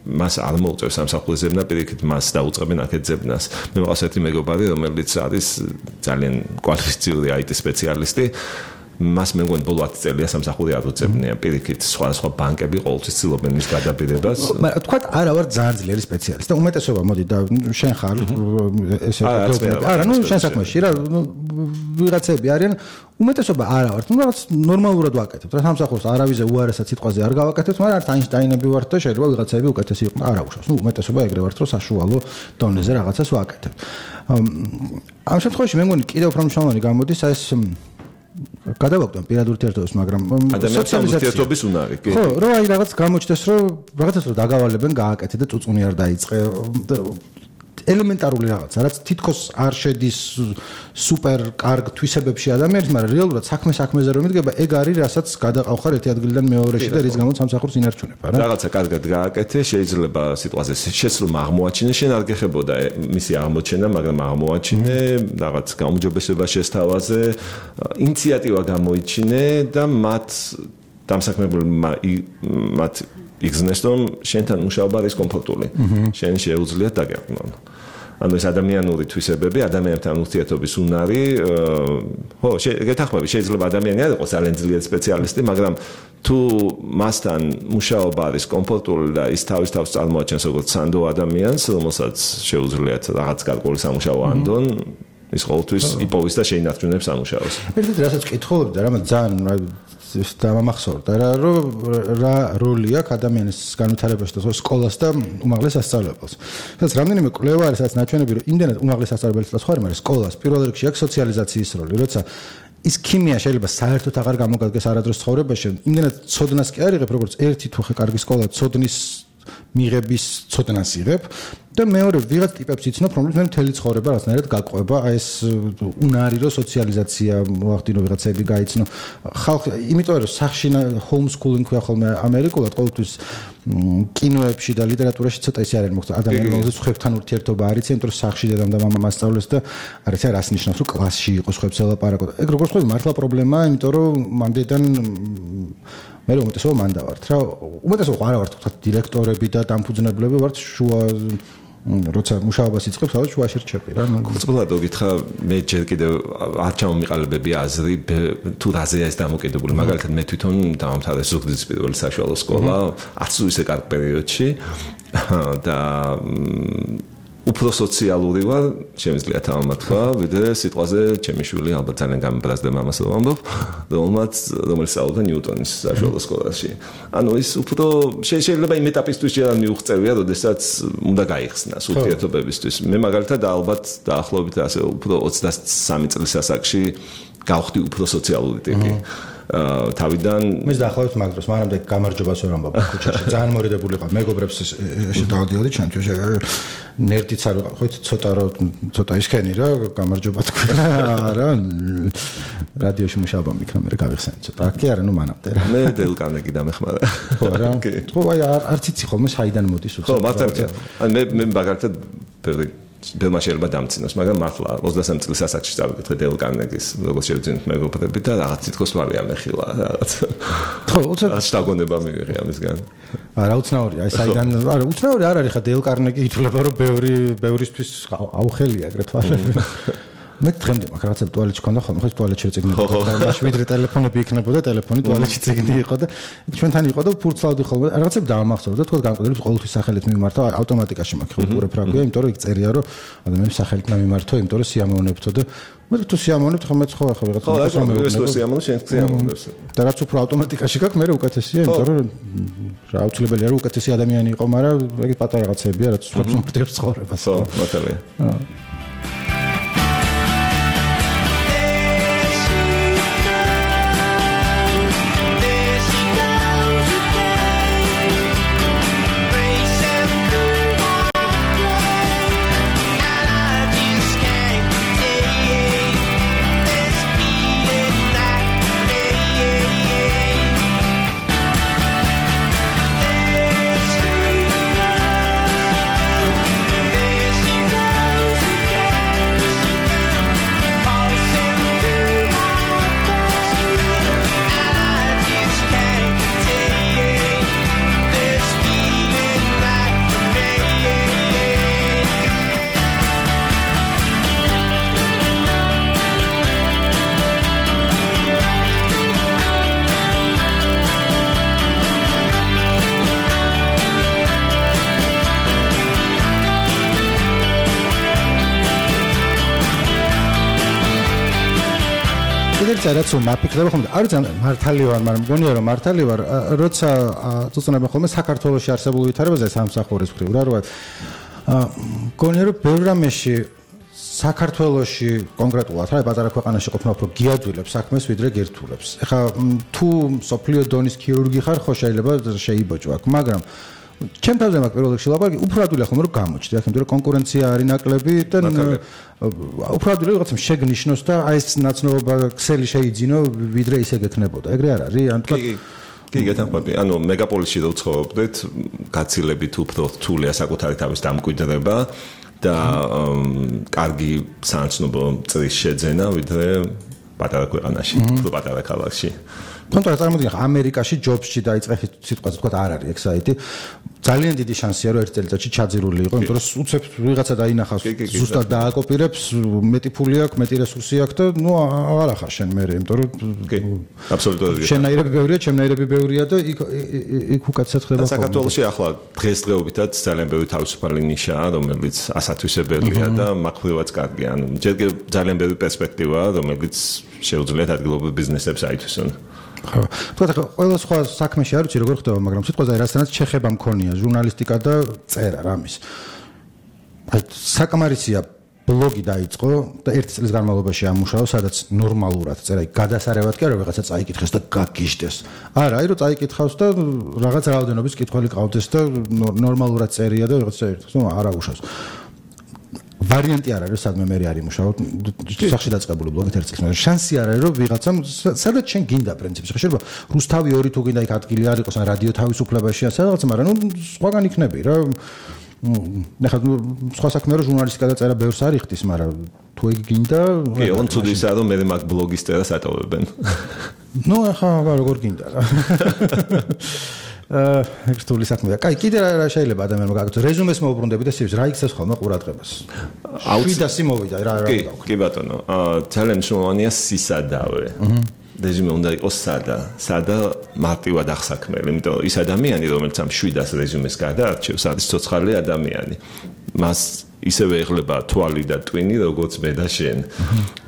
მას არ მოუწევს სამსახურის ზებნა, პირიქით მას დაუწყებენ აქეთ ზებნას. მე მყავს ერთი მეგობარი, რომელიც არის ძალიან კვალიფიციური IT სპეციალისტი. მას მე მგონი ბოლო 10 წელია სამსახური არ უწევია. პირიქით სხვა ბანკები ყოველთვის ცდილობენ მის გადაბირებას. მაგრამ თქვათ არა ვარ ძალიან ძლიერი სპეციალისტი და უმეტესობა მოდი და შენ ხარ ესე არა ნუ შენ საქმეში რა ვიღაცები არიან უმეტესობა არა ვართ, ნუ რაღაც ნორმალურად ვაკეთებთ. რა სამსახურს არავიზე უარესად სიტყვაზე არ გავაკეთებთ, მაგრამ არც აინშტაინები ვართ და შეიძლება ვიღაცები უკეთესი იყვნენ. არა უშავს. ნუ უმეტესობა ეგრე ვართ, რომ საშუალო დონეზე რაღაცას ვაკეთებთ. ამ შემთხვევაში მე მგონი კიდევ უფრო მნიშვნელოვანი გამოდის ეს გადავაგდო პირად ურთიერთობას, მაგრამ სოციალიზაციის უნარი. ხო, რომ აი რაღაც გამოჩნდეს, რომ რაღაცას რომ დაგავალებენ, გააკეთე და წუწუნი არ დაიწყე. ელემენტარული რაღაცა, რაც თითქოს არ შედის სუპერ კარგ თვისებებში ადამიანის, მაგრამ რეალურად საქმეზე რომ მიდგება, ეგ არის, რასაც გადაყავხარ ერთი ადგილიდან მეორეში და რის გამოც სამსახურს ინარჩუნებ, არა? რაღაცა კარგად გააკეთე, შეიძლება სიტყვაზე შეცდომა აღმოაჩინე, შენ არ გეხებოდა მისი აღმოჩენა, მაგრამ აღმოაჩინე, რაღაც გაუმჯობესება შესთავაზე, ინიციატივა გამოიჩინე და მათ დამსაქმებელმა მათ იგზნეს, რომ შენთან მუშაობა არის კომფორტული. შენ შეუძლიათ დაგეყნონ. ანუ ეს ადამიანური თვისებები, ადამიანთან ურთიერთობის უნარი, ხო, გეთანხმები, შეიძლება ადამიანი არ იყოს ძალიან ძლიერი სპეციალისტი, მაგრამ თუ მასთან მუშაობა არის კომფორტული და ის თავის თავს წარმოაჩენს როგორც სანდო ადამიანს, რომელსაც შეუძლიათ რაღაც გარკვეული სამუშაო ანდონ, ის ყოველთვის იპოვის და შეინარჩუნებს სამუშაოს. ერთ-ერთი რასაც კითხულობდი და რამაც ძალიან დამამახსოვრდა რომ რა როლი აქვს ადამიანის განვითარებაში და სკოლას და უმაღლეს სასწავლებელს. სადაც რამდენიმე კვლევა არის, სადაც ნაჩვენები რომ იმდენად უმაღლეს სასწავლებელს და სხვა არის სკოლას პირველ რიგში აქვს სოციალიზაციის როლი, როცა ის ქიმია შეიძლება საერთოდ აღარ გამოგადგეს არადროს ცხოვრებაში. იმდენად ცოდნას კი არ იღებ, როგორც ერთი თუ ხე კარგი სკოლა ცოდნის მიღების ცოდნას იღებ და მეორე ვიღაც ტიპებს იცნობ, რომლებიც მე მთელი ცხოვრება რაღაცნაირად გაყვება, აი ეს უნარი რო სოციალიზაცია მოახდინო ვიღაცები გაიცნო. ხალხი, იმიტომ რომ სახში ჰოუმსკულინგ ქვია ხოლმე ამერიკულად ყოველთვის კინოებში და ლიტერატურაში ცოტა ისე არის მოხდა ადამიანები, რომელზეც ხვებთან ურთიერთობა არის, იმიტომ რომ სახში დედამ და მამამ მასწავლეს და არის რას ნიშნავს, რომ კლასში იყოს ხვებს ელაპარაკო. ეგ როგორც ხვდები მართლა პრობლემაა, იმიტომ რომ მანდიდან მე უმეტესობა მან დავართ რა. უმეტესობა არა ვართ თქვა დირექტორები და დამფუძნებლები ვართ შუა როცა მუშაობას იწყებს, ალბათ შუაში რჩები რა. კურსულად გითხრა მე ჯერ კიდევ არ ჩამომიყალიბები აზრი თუ რაზეა ეს დამოკიდებული. მაგალითად მე თვითონ დავამთავრე ზუგდიდის პირველი საშუალო სკოლა, არც ისე კარგ პერიოდში და უფრო სოციალური ვარ, შემიძლია თამამათქვა, ვიდრე სიტყვაზე ჩემი შვილი ალბათ ძალიან გამიბრაზდა მამას რომ ამბობ, რომელიც სწავლობდა ნიუტონის საშუალო სკოლაში. ანუ ის უფრო შეიძლება იმ ეტაპისთვის ჯერ არ მიუღწევია, როდესაც უნდა გაიხსნას ურთიერთობებისთვის. მე მაგალითად ალბათ დაახლოებით ასე უფრო 23 წლის ასაკში გავხდი უფრო სოციალური ტიპი. თავიდან მე დაახლოებით მაგ დროს მანამდე გამარჯვებას ვერ ამბობ ქუჩაში ძალიან მორიდებული ვიყავ მეგობრებს შედავდიოდი ჩემთვის ნერდიც არ ვიყავ ხო ცოტა ისქენი რა გამარჯობა თქვა რა რადიოში მუშაობა მიქნა მე გავიხსენე ცოტა კი არა ნუ მანამდე რა მე დელ კარნეგი დამეხმარა ხო რა ხო აი არც იცი ხოლმე საიდან მოდის უცებ ხო მართალია მე მაგალითად ბელმა შეიძლება დამცინოს, მაგრამ მართლა 23 წლის ასაკში წავიკითხე დელ კარნეგის, როგორც შევძინეთ მეგობრები და რაღაც თითქოს მალე ამეხილა რაღაც. ხო, უცებ შტაგონება მივიღე ამისგან. არა, უცნაურია, აი საიდან, არა, უცნაური არ არის ხა დელ კარნეგი ითვლება რომ ბევრისთვის აუხელია აგრეთვე. მე დღემდე მაგ რაღაცა ტუალეტში ქონდა ხოლმე, ხო ტუალეტში წიგნები. მაშინ ვიდრე ტელეფონები იქნებოდა, ტელეფონი ტუალეტში წიგნი იყო და ჩვენთან იყო და ფურცლავდი ხოლმე. რაღაცები დაამახსოვრდა, თქო განკვეთილებს ყოველთვის სახელით მიმართავ, ავტომატიკაში მაქვს უყურებ რა გვია, იმიტომ რომ იქ წერია რომ ადამიანს სახელით მიმართო, იმიტომ რომ სიამოვნებთო და მე თუ სიამოვნებთ ხომ მეც ხო ახლა ვიღაცა ეს სიამოვნე შენ სიამოვნებს. და რაც უფრო ავტომატიკაში გაქვს, მე უკეთესია, იმიტომ რომ რა აუცილებელია რომ უკეთესი ადამიანი იყო, მაგრამ ეგ პატარა რაღაცებია, რაც უცხოებს მომწევს ცხოვრებას. ხო, მართალია. რაც მაფიქრდება ხოლმე არ ძალიან მართალი ვარ, მაგრამ მგონია რომ მართალი ვარ, როცა წუწუნებენ ხოლმე საქართველოში არსებულ ვითარებაზე სამსახურის მხრივ რა რა მგონია რომ ბევრ რამეში საქართველოში კონკრეტულად რა პატარა ქვეყანაში ყოფნა უფრო გიადვილებს საქმეს ვიდრე გერთულებს. ეხლა თუ სოფლიო დონის ქირურგი ხარ, ხო შეიძლება შეიბოჭო აქ, მაგრამ ჩემ თავზე მაგ პირველ რიგში ლაპარაკი უფრო ადვილია ხომ რომ გამოჩდი, იმიტომ რომ კონკურენცია არის ნაკლები და უფრო ადვილია რაღაცა შეგნიშნოს და აი ეს ნაცნობობა ქსელი შეიძინო ვიდრე ისე გექნებოდა. ეგრე არ არის? ან თქვა კი გეთანხმები. ანუ მეგაპოლისში რო ცხოვრობდეთ, გაცილებით უფრო რთულია საკუთარი თავის დამკვიდრება და კარგი საანცნობო წრის შეძენა ვიდრე პატარა ქვეყანაში, უფრო პატარა ქალაქში. თუმცა წარმოგიდგენთ ამერიკაში ჯობსში დაიწყეთ სიტყვაზე თქვა არ არის ეგ საიტი ძალიან დიდი შანსია რომ ერთ წელიწადში ჩაძირული იყო იმიტომ რომ უცებ ვიღაცა დაინახავს ზუსტად დააკოპირებს მეტი ფული აქვს მეტი რესურსი აქვს და ნუ აღარ ახარ შენ მე იმიტომ რომ კი აბსოლუტურად შენაირები ბევრია ჩემნაირები ბევრია და იქ უკაცრად ხდება საქართველოში ახლა დღესდღეობითაც ძალიან ბევრი თავისუფალი ნიშაა რომელიც ასათვისებელია და მაყურებაც კარგია ანუ ჯერ ძალიან ბევრი პერსპექტივაა რომელიც შეუძლიათ ადგილობრივ ბიზნესებს აითვისონ ხო. თქვა ყველა სხვა საქმეში არ ვიცი როგორ ხდება, მაგრამ სიტყვაზე რასაც შეხება მქონია ჟურნალისტიკა და წერა რამის. აი საკმარისია ბლოგი დაიწყო და 1 წლის განმავლობაში ამუშავა, სადაც ნორმალურად წერა, გადასარევად კი არა, ვიღაცა წაიკითხეს და გაგიჟდეს. არა, აი რომ წაიკითხავს და რაღაც რაოდენობის კითხველი ყავდეს და ნორმალურად წერია და ვიღაცა ერთხს არა უშავს. ვარიანტი არ არის, სადმე მე არ იმუშაო, სახში დაწყებული ბლოგი 1 წლის, მაგრამ შანსი არ არის, რომ ვიღაცამ სადაც შენ გინდა პრინციპში. შეიძლება რუსთავი 2 თუ გინდა იქ ადგილი არ იყოს, ან რადიო თავისუფლებაშია სადღაც, მაგრამ სხვაგან იქნები რა. ნახე სხვა საქმე რო ჟურნალისტიკა და წერა ბევრს არ იხდის, მაგრამ თუ ეგ გინდა კი, ოღონდ ცუდი ისაა რომ მე მაგ ბლოგის წერას ატოვებენ. ახლა როგორ გინდა რა. ეგ რთული საქმეა. კაი, კიდე რა შეიძლება ადამიანმა გაკეთოს? რეზუმეს მოუბრუნდები და CV-ს რა იქცევს ხოლმე ყურადღებას? 700 მოვიდა რა გავაკეთე. კი ბატონო, ძალიან მნიშვნელოვანია სისადავე. რეზუმე უნდა იყოს სადა მარტივად აღსაქმელი, იმიტომ რომ ის ადამიანი, რომელიც ამ 700 რეზუმეს გადაარჩევს, არის ცოცხალი ადამიანი. მას ისევე ეხლება თვალი და ტვინი, როგორც მე და შენ.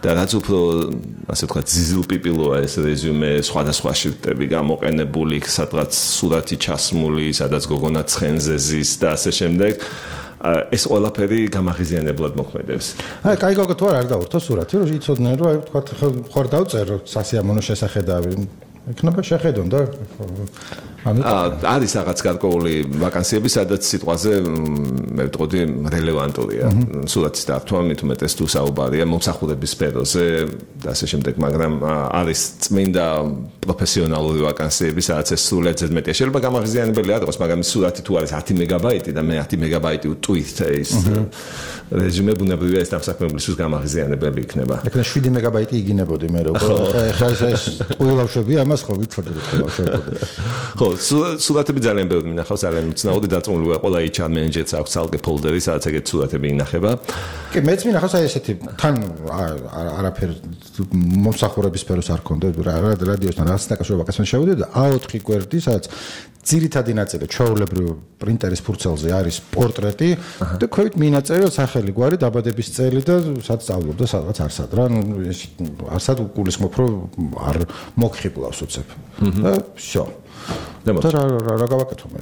და რაც უფრო, ასე ვთქვათ, ზიზილპიპილოა ეს რეზუმე, სხვადასხვა შრიფტები გამოყენებული, სადღაც სურათი ჩასმული, სადაც გოგონა ცხენზე ზის და ასე შემდეგ. ეს ყველაფერი გამაღიზიანებლად მოქმედებს. აი, კაი გოგო თუ არ დავურთო სურათი, რომ იცოდნენ, რომ აი ვთქვათ, ხარ დავწერო სასიამოვნო შესახედავი. იქნება შეხედონ და არის რაღაც გარკვეული ვაკანსიები, სადაც სიტყვაზე მე ვიტყოდი რელევანტურია. სურათის დართვა მით უმეტეს თუ საუბარია მომსახურების სფეროზე და ასე შემდეგ, მაგრამ არის წმინდა პროფესიონალური ვაკანსიები, სადაც ეს სრულად ზედმეტია. შეიძლება გამაღიზიანებელი არ იყოს, მაგრამ სურათი თუ არის 10 მეგაბაიტი და მე 10 მეგაბაიტი ვტვირთ ის რეზუმე ბუნებრივია ეს დამსაქმებლისთვის გამაღიზიანებელი იქნება. ეხლა 7 მეგაბაიტი იგინებოდი მე რო. ეხლა ეს ყვილავშები ამას ხო ვიცოდი ყვილავშები. ხო, სურათები ძალიან ბევრი მინახავს, ძალიან უცნაური დაწუნულია, ყველა HR მენეჯერს აქვს ცალკე ფოლდერი, სადაც ეგეთ სურათები ინახება. კი, მეც მინახავს აი ესეთი თან არაფერ მომსახურების სფეროს არ ქონდა, რადიოსთან რაღაც დაკავშირებაც შევიდე და A4 კვერდი, სადაც ძირითადი ნაწილი ჩვეულებრივ პრინტერის ფურცელზე არის პორტრეტი და ქვევით მინაწერია სახელი, გვარი, დაბადების წელი და სადაც სწავლობდა, სადაც არსად რა, არსად გულისხმობ, რომ არ მოგხიბლავს უცებ. და всё. და რა გავაკეთო მე?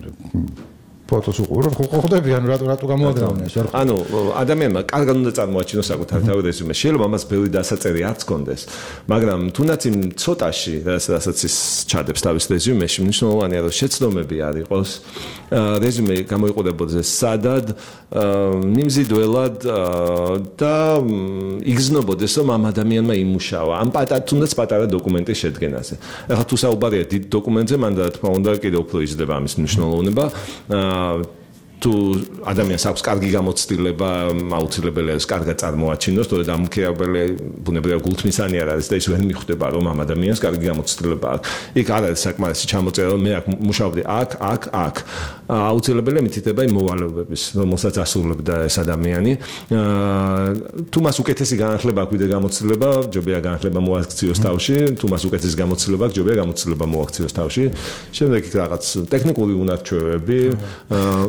ფოტოს უყურო, ხო ხვდები, ანუ რატო გამოაგზავნე ეს? ანუ ადამიანმა კარგად უნდა წარმოაჩინოს საკუთარ თავი რეზუმე. შეიძლება ამას ბევრი დასაწერი არც კონდეს, მაგრამ თუნდაც იმ ცოტაში, რასაც ის ჩადებს თავის რეზუმეში, მნიშვნელოვანია რომ შეცდომები არ იყოს, რეზუმე გამოიყურებოდეს სადად, მიმზიდველად და იგზნობოდეს რომ ამ ადამიანმა იმუშავა, ამ თუნდაც პატარა დოკუმენტის შედგენაზე. ახლა თუ საუბარია დიდ დოკუმენტზე, მან და თქმა უნდა კიდევ უფრო იზრდება ამის მნიშვნელოვნება. თუ ადამიანს აქვს კარგი გამოცდილება, აუცილებელია ეს კარგად წარმოაჩინოს, თორედ ამ მქირავებელი ბუნებრივია გულთმისანი არ არის და ის ვერ მიხვდება რომ ამ ადამიანს კარგი გამოცდილება აქვს. იქ არ არის საკმარისი ჩამოწერა რომ მე აქ მუშაობდი აქ. აუცილებელია მითითება იმ მოვალეობების, რომელსაც ასრულებდა ეს ადამიანი. თუ მას უკეთესი განათლება აქვს ვიდრე გამოცდილება, ჯობია განათლება მოაქციოს თავში, თუ მას უკეთესი გამოცდილება აქვს, ჯობია გამოცდილება მოაქციოს თავში. შემდეგ იქ რაღაც ტექნიკური უნარჩვევები.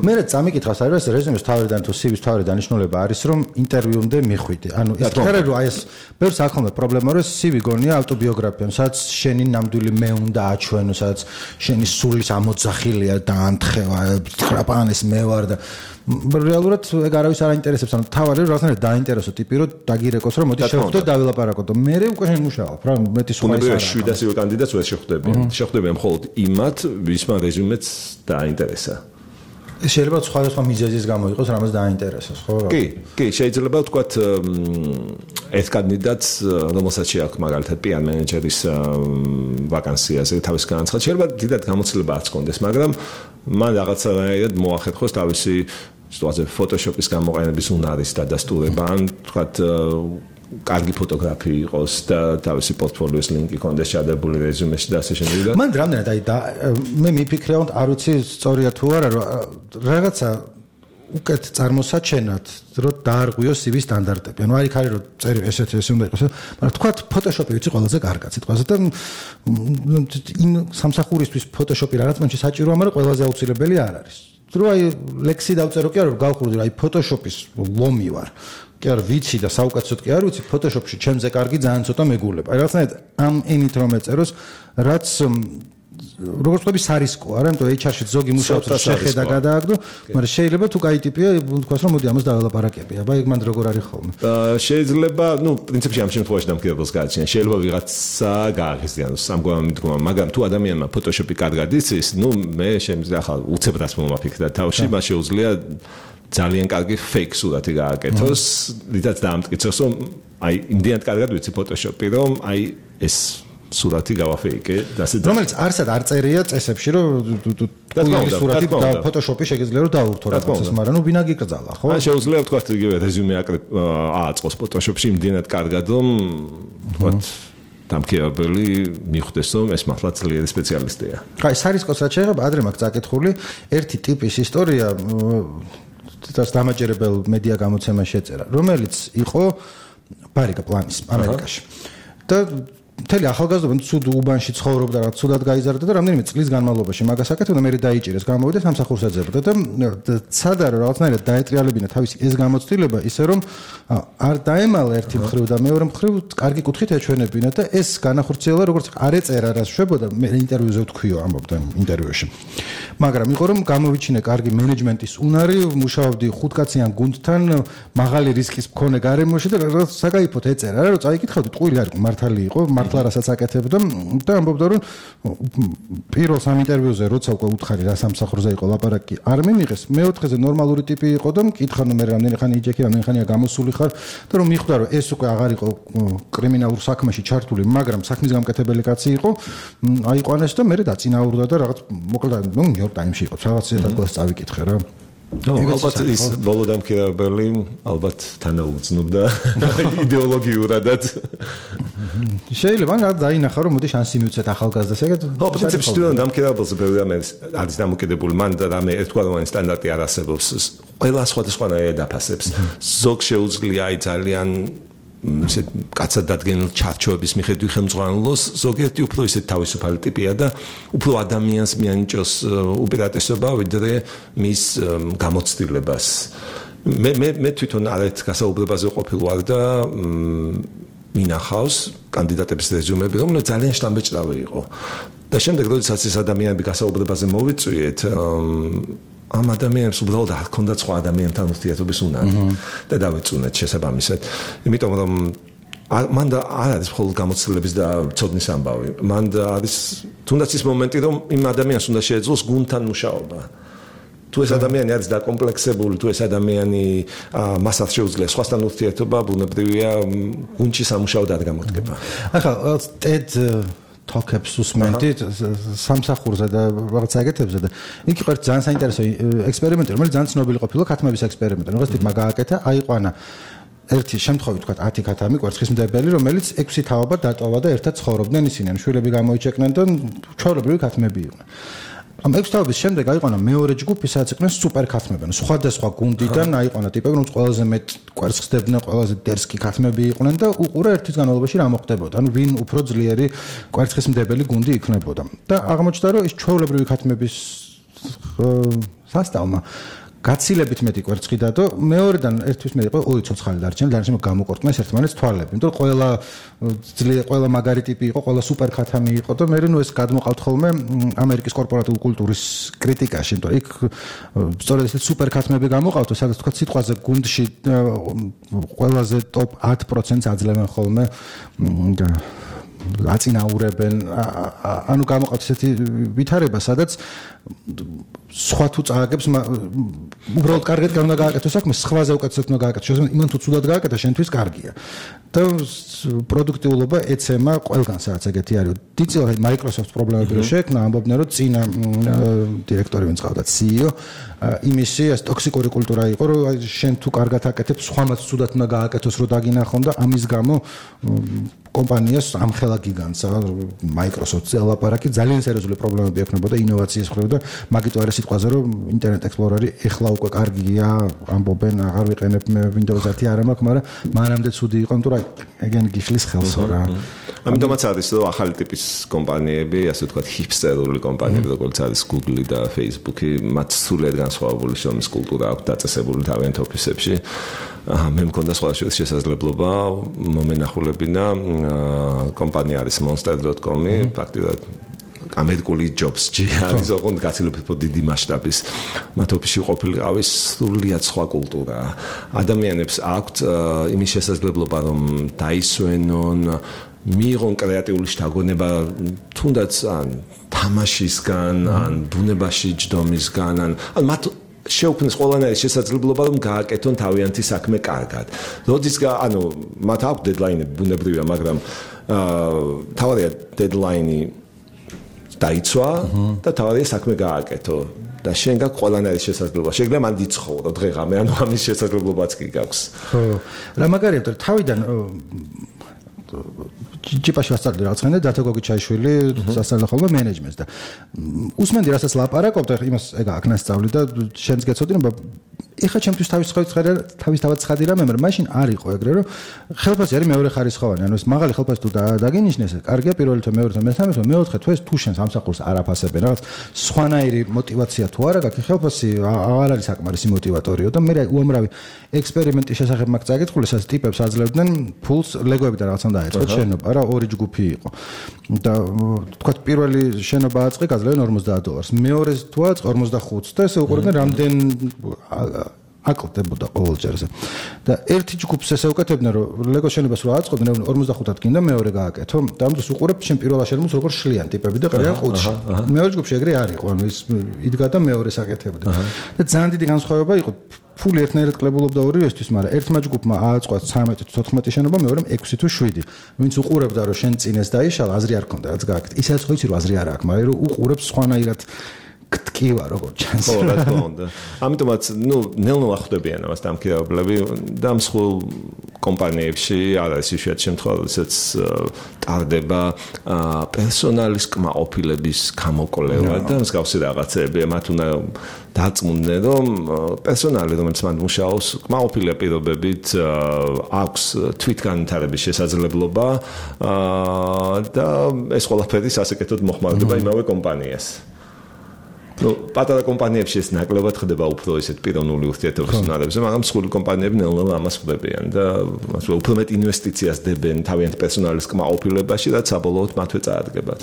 მე წამიკითხავს არის ეს რეზუმეს თავიდან თუ CV-ს თავი დანიშნულება არის რომ ინტერვიუმდე მიხვიდე. ანუ ეს ხერე რომ აი ეს ბევრს ახალმე პრობლემა რომ CV გონია ავტობიოგრაფია, სადაც შენი ნამდვილი მე უნდა აჩვენო, სადაც შენი სულის ამოძახილია და ანთხევა, ტრაპანის მე ვარ და რეალურად ეგ არავის არ აინტერესებს, ანუ თავარი რომ რაღაცნაირად დაინტერესო ტიპი რომ დაგირეკოს რომ მოდი შევხვდეთ დავილაპარაკოთ და მე უკვე შენ მუშაობ რა მეტი სხვა ის არა. 700 კანდიდატს ვერ შეხვდები მხოლოდ იმათ ვისმა რეზუმეც დააინტერესა. შეიძლება სხვადასხვა მიზეზის გამო იყოს რამაც დააინტერესოს, ხო? კი, შეიძლება ვთქვათ ეს კანდიდატს, რომელსაც შეაქვს მაგალითად PR მენეჯერის ვაკანსიაზე თავის განაცხადი, შეიძლება დიდად გამოცდილება არ ჰქონდეს, მაგრამ მან რაღაცნაირად მოახერხოს თავისი სიტუაცია Photoshop-ის გამოყენების უნარის დადასტურება, ან ვთქვათ კარგი ფოტოგრაფი იყოს და თავისი პორტფოლიოს ლინკი კონდეს ჩადებული რეზუმეში და ასე შემდეგ. მან რამდენად აი მე მიფიქრე, არ ვიცი სწორია თუ არა, რომ რაღაცა უკეთ წარმოსაჩენად რომ დაარღვიოს CV სტანდარტები. ანუ არის ხარი რომ წერი ესეთი უნდა იყოს, მაგრამ თქვა Photoshop-ი ვიცი ყველაზე კარგად სიტყვაზე და იმ სამსახურისთვის Photoshop-ი რაღაც მომენტში საჭიროა, მაგრამ ყველაზე აუცილებელი არ არის. თუ აი ლექსი დავწერო კი არა რომ გავხურდი აი Photoshop-ის ლომი ვარ. კი არ ვიცი და საუკეთესოდ კი არ ვიცი Photoshop-ში ჩემზე კარგი ძალიან ცოტა მეგულება. აი რაღაცნაირად ამ ენით რომ ეწეროს, რაც როგორც ვთქვი, სარისკოა, რა, იმიტომ HR-ში ზოგი მუშაობს შეხედა გადააგდო, მაგრამ შეიძლება თუ კაი ტიპია, თქვას რომ მოდი ამას დაველაპარაკები. აბა ეგ მანდ როგორ არის ხოლმე? შეიძლება, პრინციპში ამ შემთხვევაში დამკვირვებელს გააჩნია. შეიძლება ვიღაცა გააღიზიანოს ამგვარ მიდგომა, მაგრამ თუ ადამიანმა Photoshop-ი კარგად იცის, მე შემიძლია ახლა უცებრას მომაფიქრდა თავში, მას შეუძლია ძალიან კარგი fake სურათი გააკეთოს, რითაც დაამტკიცოს, რომ აი იმდენად კარგად ვიცი Photoshop-ი, რომ აი ეს სურათი გავაფეიკე და ასე რომელიც არსად არ წერია წესებში რომ სურათი Photoshop-ი შეგიძლია რომ დაურთო რაღაცას, მაგრამ ვინა გიკრძალა, ხო? ან შეუძლია ვთქვათ იგივე რეზიუმე ააწყოს Photoshop-ში იმდენად კარგად, რომ ვთქვათ დამქირავებელი მიხვდეს, რომ ეს მართლა ძლიერი სპეციალისტია. აი, სარისკოს რაც შეიძლება ადრე მაქვს წაკითხული, ერთი ტიპის ისტორია თითქოს დამაჯერებელ მედია გამოცემაში შეწერა, რომელიც იყო ბარიკა პლანის ამერიკაში. და მთელი ახალგაზრდობა ცუდ უბანში ცხოვრობდა, რა ცუდად გაიზარდა და რამდენიმე წლის განმავლობაში მაგას აკეთებდა და მე დაიჭირეს, გამოვიდა სამსახურს ეძებდა და ცადა რომ რაღაცნაირად დაეტრიალებინა თავისი ეს გამოცდილება, ისე რომ არ დაემალა ერთი მხრივ და მეორე მხრივ კარგი კუთხით ეჩვენებინა და ეს განახორციელა როგორც არ ეწერა რა შვებოდა, მე ინტერვიუზე ვთქვიო, ამბობდა ინტერვიუში. მაგრამ იყო რომ გამოვიჩინე კარგი მენეჯმენტის უნარი, მუშაობდი ხუთკაციან გუნდთან, მაღალი რისკის მქონე გარემოში და რაღაც საკაიფოდ ეწერა რა, რომ წაიკითხავდი, ტყუილი არ იყო, მართალი იყო, მართლა რასაც აკეთებდა და ამბობდა რომ პირველ სამ ინტერვიუზე როცა უკვე უთხარი რა სამსახურზე იყო ლაპარაკი არ მიიღეს, მეოთხეზე ნორმალური ტიპი იყო და მკითხა რომ მე რამდენი ხანი იჯექი, რამდენი ხანია გამოსული ხარ და რომ მიხვდა რომ ეს უკვე აღარ იყო კრიმინალურ საქმეში ჩართული, მაგრამ საქმის გამკეთებელი კაცი იყო, აიყვანეს და მე დაწინაურდა და რაღაც მოკლედ New York Times-ში იყო, რაღაც ზედაპირს წავიკითხე რა. ალბათ ის ბოლო დამქირავებელი ალბათ თანაუგრძნობდა იდეოლოგიურადაც. შეიძლება რა დაინახა რომ მოდი შანსი მივცეთ ახალგაზრდას ეგეთ. პრინციპში თუ დამქირავებელზე ბევრი არის დამოკიდებული, მან და რამე ერთგვაროვანი სტანდარტი არ არსებობს. ყველა სხვადასხვანაირად დაფასებს. ზოგ შეუძლია აი ძალიან ისეთ კაცად დადგენილ ჩარჩოების მიხედვით ხელმძღვანელოს, ზოგიერთი უფრო ისეთ თავისუფალი ტიპია და უფრო ადამიანს მიანიჭოს უპირატესობა ვიდრე მის გამოცდილებას. მე თვითონ არეთ გასაუბრებაზე ყოფილ ვარ და მინახავს კანდიდატების რეზიუმები, რომელიც ძალიან შთამბეჭდავი იყო. და შემდეგ როდესაც ეს ადამიანები გასაუბრებაზე მოვიწვიეთ, ამ ადამიანებს უბრალოდ არ ჰქონდათ სხვა ადამიანთან ურთიერთობის უნარი და დავეწუნეთ შესაბამისად. იმიტომ რომ მან და არ არის მხოლოდ გამოცდილების და ცოდნის ამბავი. მან და არის თუნდაც ის მომენტი, რომ იმ ადამიანს უნდა შეეძლოს გუნდთან მუშაობა. თუ ეს ადამიანი არის დაკომპლექსებული, თუ ეს ადამიანი მასაც შეუძლია სხვასთან ურთიერთობა, ბუნებრივია გუნდში სამუშაოდ არ გამოდგება. ახლა TED Talk-ებს უსმენთ სამსახურზე და რაღაც აგეთებზე და იქ იყო ძალიან საინტერესო ექსპერიმენტი, რომელიც ძალიან ცნობილი ყოფილა ქათმების ექსპერიმენტი. რაღაც ტიპმა გააკეთა, აიყვანა ერთი შემთხვევით თქვა 10 ქათამი კვერცხისმდებელი, რომელიც 6 თაობა დატოვა და ერთად ცხოვრობდნენ ისინი, შვილები გამოიჩეკნენ და ჩვეულებრივი ქათმები იყვნენ. ამ 6 თაობის შემდეგ აიყვანა მეორე ჯგუფი, სადაც იყვნენ სუპერ ქათმებანი. სხვადასხვა გუნდიდან აიყვანა ტიპები, რომ ყველაზე მეტ კვერცხს ხდებდნენ, ყველაზე დერსკი ქათმები იყვნენ და უყურა ერთის განმავლობაში რა მოხდებოდა. ანუ ვინ უფრო ძლიერი კვერცხისმდებელი გუნდი იქნებოდა. და აღმოჩნდა, რომ ის ჩვეულებრივი ქათმების სასტავმა გაცილებით მეტი კვერცხი დადო, მეორედან ერთვის მეტი იყო 2 ცოცხალი დარჩენილი, დარჩენილი გამოყორტნეს ერთმანეთს თვალები. იმიტომ რომ ყველა მაგარი ტიპი იყო, ყველა სუპერ ქათამი იყო და მე ეს გადმოყავთ ხოლმე ამერიკის კორპორატიული კულტურის კრიტიკაში, იმიტომ იქ სწორედ ეს სუპერ ქათმები გამოყავთ, სადაც თქვა სიტყვაზე გუნდში ყველაზე ტოპ 10%-ს აძლევენ ხოლმე აწინაურებენ, ანუ გამოყავთ ესეთი ვითარება, სადაც სხვა თუ წააგებს, უბრალოდ კარგად უნდა გააკეთოს საქმე, სხვაზე უკეთესად უნდა გააკეთოს. შესაძლოა იმან თუ ცუდად გააკეთა, შენთვის კარგია. და პროდუქტიულობა ეცემა ყველგან სადაც ეგეთი არის. დიდწილად Microsoft პრობლემები რო შეექმნა, ამბობდნენ რომ წინა დირექტორი ვინც ყავდა CEO, იმისი ეს ტოქსიკური კულტურა იყო, რომ შენ თუ კარგად აკეთებ, სხვამაც ცუდად უნდა გააკეთოს, რომ დაგინახონ და ამის გამო კომპანიას ამხელა გიგანტს, Microsoft-ზე ლაპარაკი ძალიან სერიოზული პრობლემები ექნებოდა ინოვაციის მხრივ და მაგით არის სიტყვაზე რომ Internet Explorer-ი ეხლა უკვე კარგია, ამბობენ, აღარ ვიყენებ მე Windows 10 არ მაქვს, მაგრამ მანამდე ცუდი იყო, იმიტომ რომ ეგენ გიხლის ხელსო რა. ამიტომაც არის რომ ახალი ტიპის კომპანიები, ასე ვთქვათ, ჰიპსტერული კომპანიები, როგორც არის Google და Facebook-ი, მათ სულიად განსხვავებული შრომის კულტურა აქვს დაწესებული თავიანთ ოფისებში. მე მქონდა სხვა შესაძლებლობა მომენახულებინა კომპანია არის monster.com-ი, ფაქტობრივად ამერიკული ჯობსში არის ოღონდ გაცილებით დიდი მასშტაბის მათ ოფისში ყოფილიყავის სრულიად სხვა კულტურა. ადამიანებს აქვთ იმის შესაძლებლობა რომ დაისვენონ მიიღონ კრეატიული შთაგონება თუნდაც ან თამაშისგან ან ბუნებაში ჯდომისგან ან მათ შეუქმნეს ყველანაირი შესაძლებლობა რომ გააკეთონ თავიანთი საქმე კარგად. როდესაც მათ აქვს დედლაინები ბუნებრივია, მაგრამ თავარია დედლაინი დაიცვა და თავარია საქმე გააკეთო და შენ გაქვს ყველანაირი შესაძლებლობა. შეგიძლია მან დიცხოვრო დღეღამე, ამის შესაძლებლობაც კი გაქვს. ხო, რა მაგარია, თავიდან ჯიპაში ვასწავლე რაღაცა და დათო გოგიჩაიშვილი სასწავლო ხოლმე მენეჯმენტს და უსმენდი რასაც ლაპარაკობთ, იმას ეგ აქნასწავლი და შენს გეცოდინება ეხა ჩემთვის თავისთავად ცხადი რამე, მაგრამ მაშინ არ იყო ეგრე, რომ ხელფასი არის მეორე ხარისხოვანი, ანუ ეს მაღალი ხელფასი თუ დაგინიშნეს, კარგია პირველი თვე, მეორე თვე, მესამე თვე, მეოთხე თვე თუ შენ სამსახურს არ აფასებენ, რაღაც სხვანაირი мотиваცია თუ არა გაქვს, ხელფასი არ არის საკმარისი мотиваტორიო და მე უამრავი ექსპერიმენტის შესახებ მაგ წაკითხული, სადაც ტიპებს აძლევდნენ ფულს ლეგოებიდან რაღაცა დაეწყოთ შენობა, რა ორი ჯგუფი იყო. და თქვა პირველი შენობა აწყე გაძლევენ $50, მეორეს თუ აწყე 45 და ესე უყურებდნენ რამდენ აკლდებოდა ყოველ ჯერზე. და ერთი ჯგუფს ესე უკეთებდნენ, რომ ლეგო შენობას რო აწყობდნენ 45-ად გინდა მეორე გააკეთო. და ამ დროს უყურებ შენ პირველ შენობას როგორ შლიან ტიპები და ყრიან ყუთში. მეორე ჯგუფში ეგრე არ იყო, ანუ ის იდგა და მეორეს აკეთებდა. და ძალიან დიდი განსხვავება იყო. ფული ერთნაირად კლებულობდა ორივესთვის, მაგრამ ერთმა ჯგუფმა ააწყვა 13 თუ 14 შენობა, მეორემ 6 თუ 7. ვინც უყურებდა რომ შენ წინეს დაიშალა, აზრი არ ქონდა რაც გააკეთე. ისაც ხო იცი რომ აზრი არ აქვს, მაგრამ რომ უყურებს სხვანაირად გტკივა როგორ ჩანს. ხო, რა თქმა უნდა. ამიტომაც, ნელ-ნელა ხვდებიან ამას დამქირავებლები და მსხვილ კომპანიებში არ არის იშვიათი შემთხვევა, როდესაც ტარდება პერსონალის კმაყოფილების გამოკვლევა და მსგავსი რაღაცეები. მათ უნდა დაწმუნდნენ, რომ პერსონალი, რომელიც მან მუშაობს, კმაყოფილია პირობებით, აქვს თვითგანვითარების შესაძლებლობა და ეს ყველაფერი სასეკეთოდ მოხმარდება იმავე კომპანიას. პატარა კომპანიებში ეს ნაკლებად ხდება უფრო ისეთ პიროვნული ურთიერთობის უნარებზე, მაგრამ მსხვილი კომპანიები ნელ-ნელა ამას ხვდებიან და უფრო მეტ ინვესტიციას დებენ თავიანთ პერსონალის კმაყოფილებაში, რაც საბოლოოდ მათვე წაადგებათ.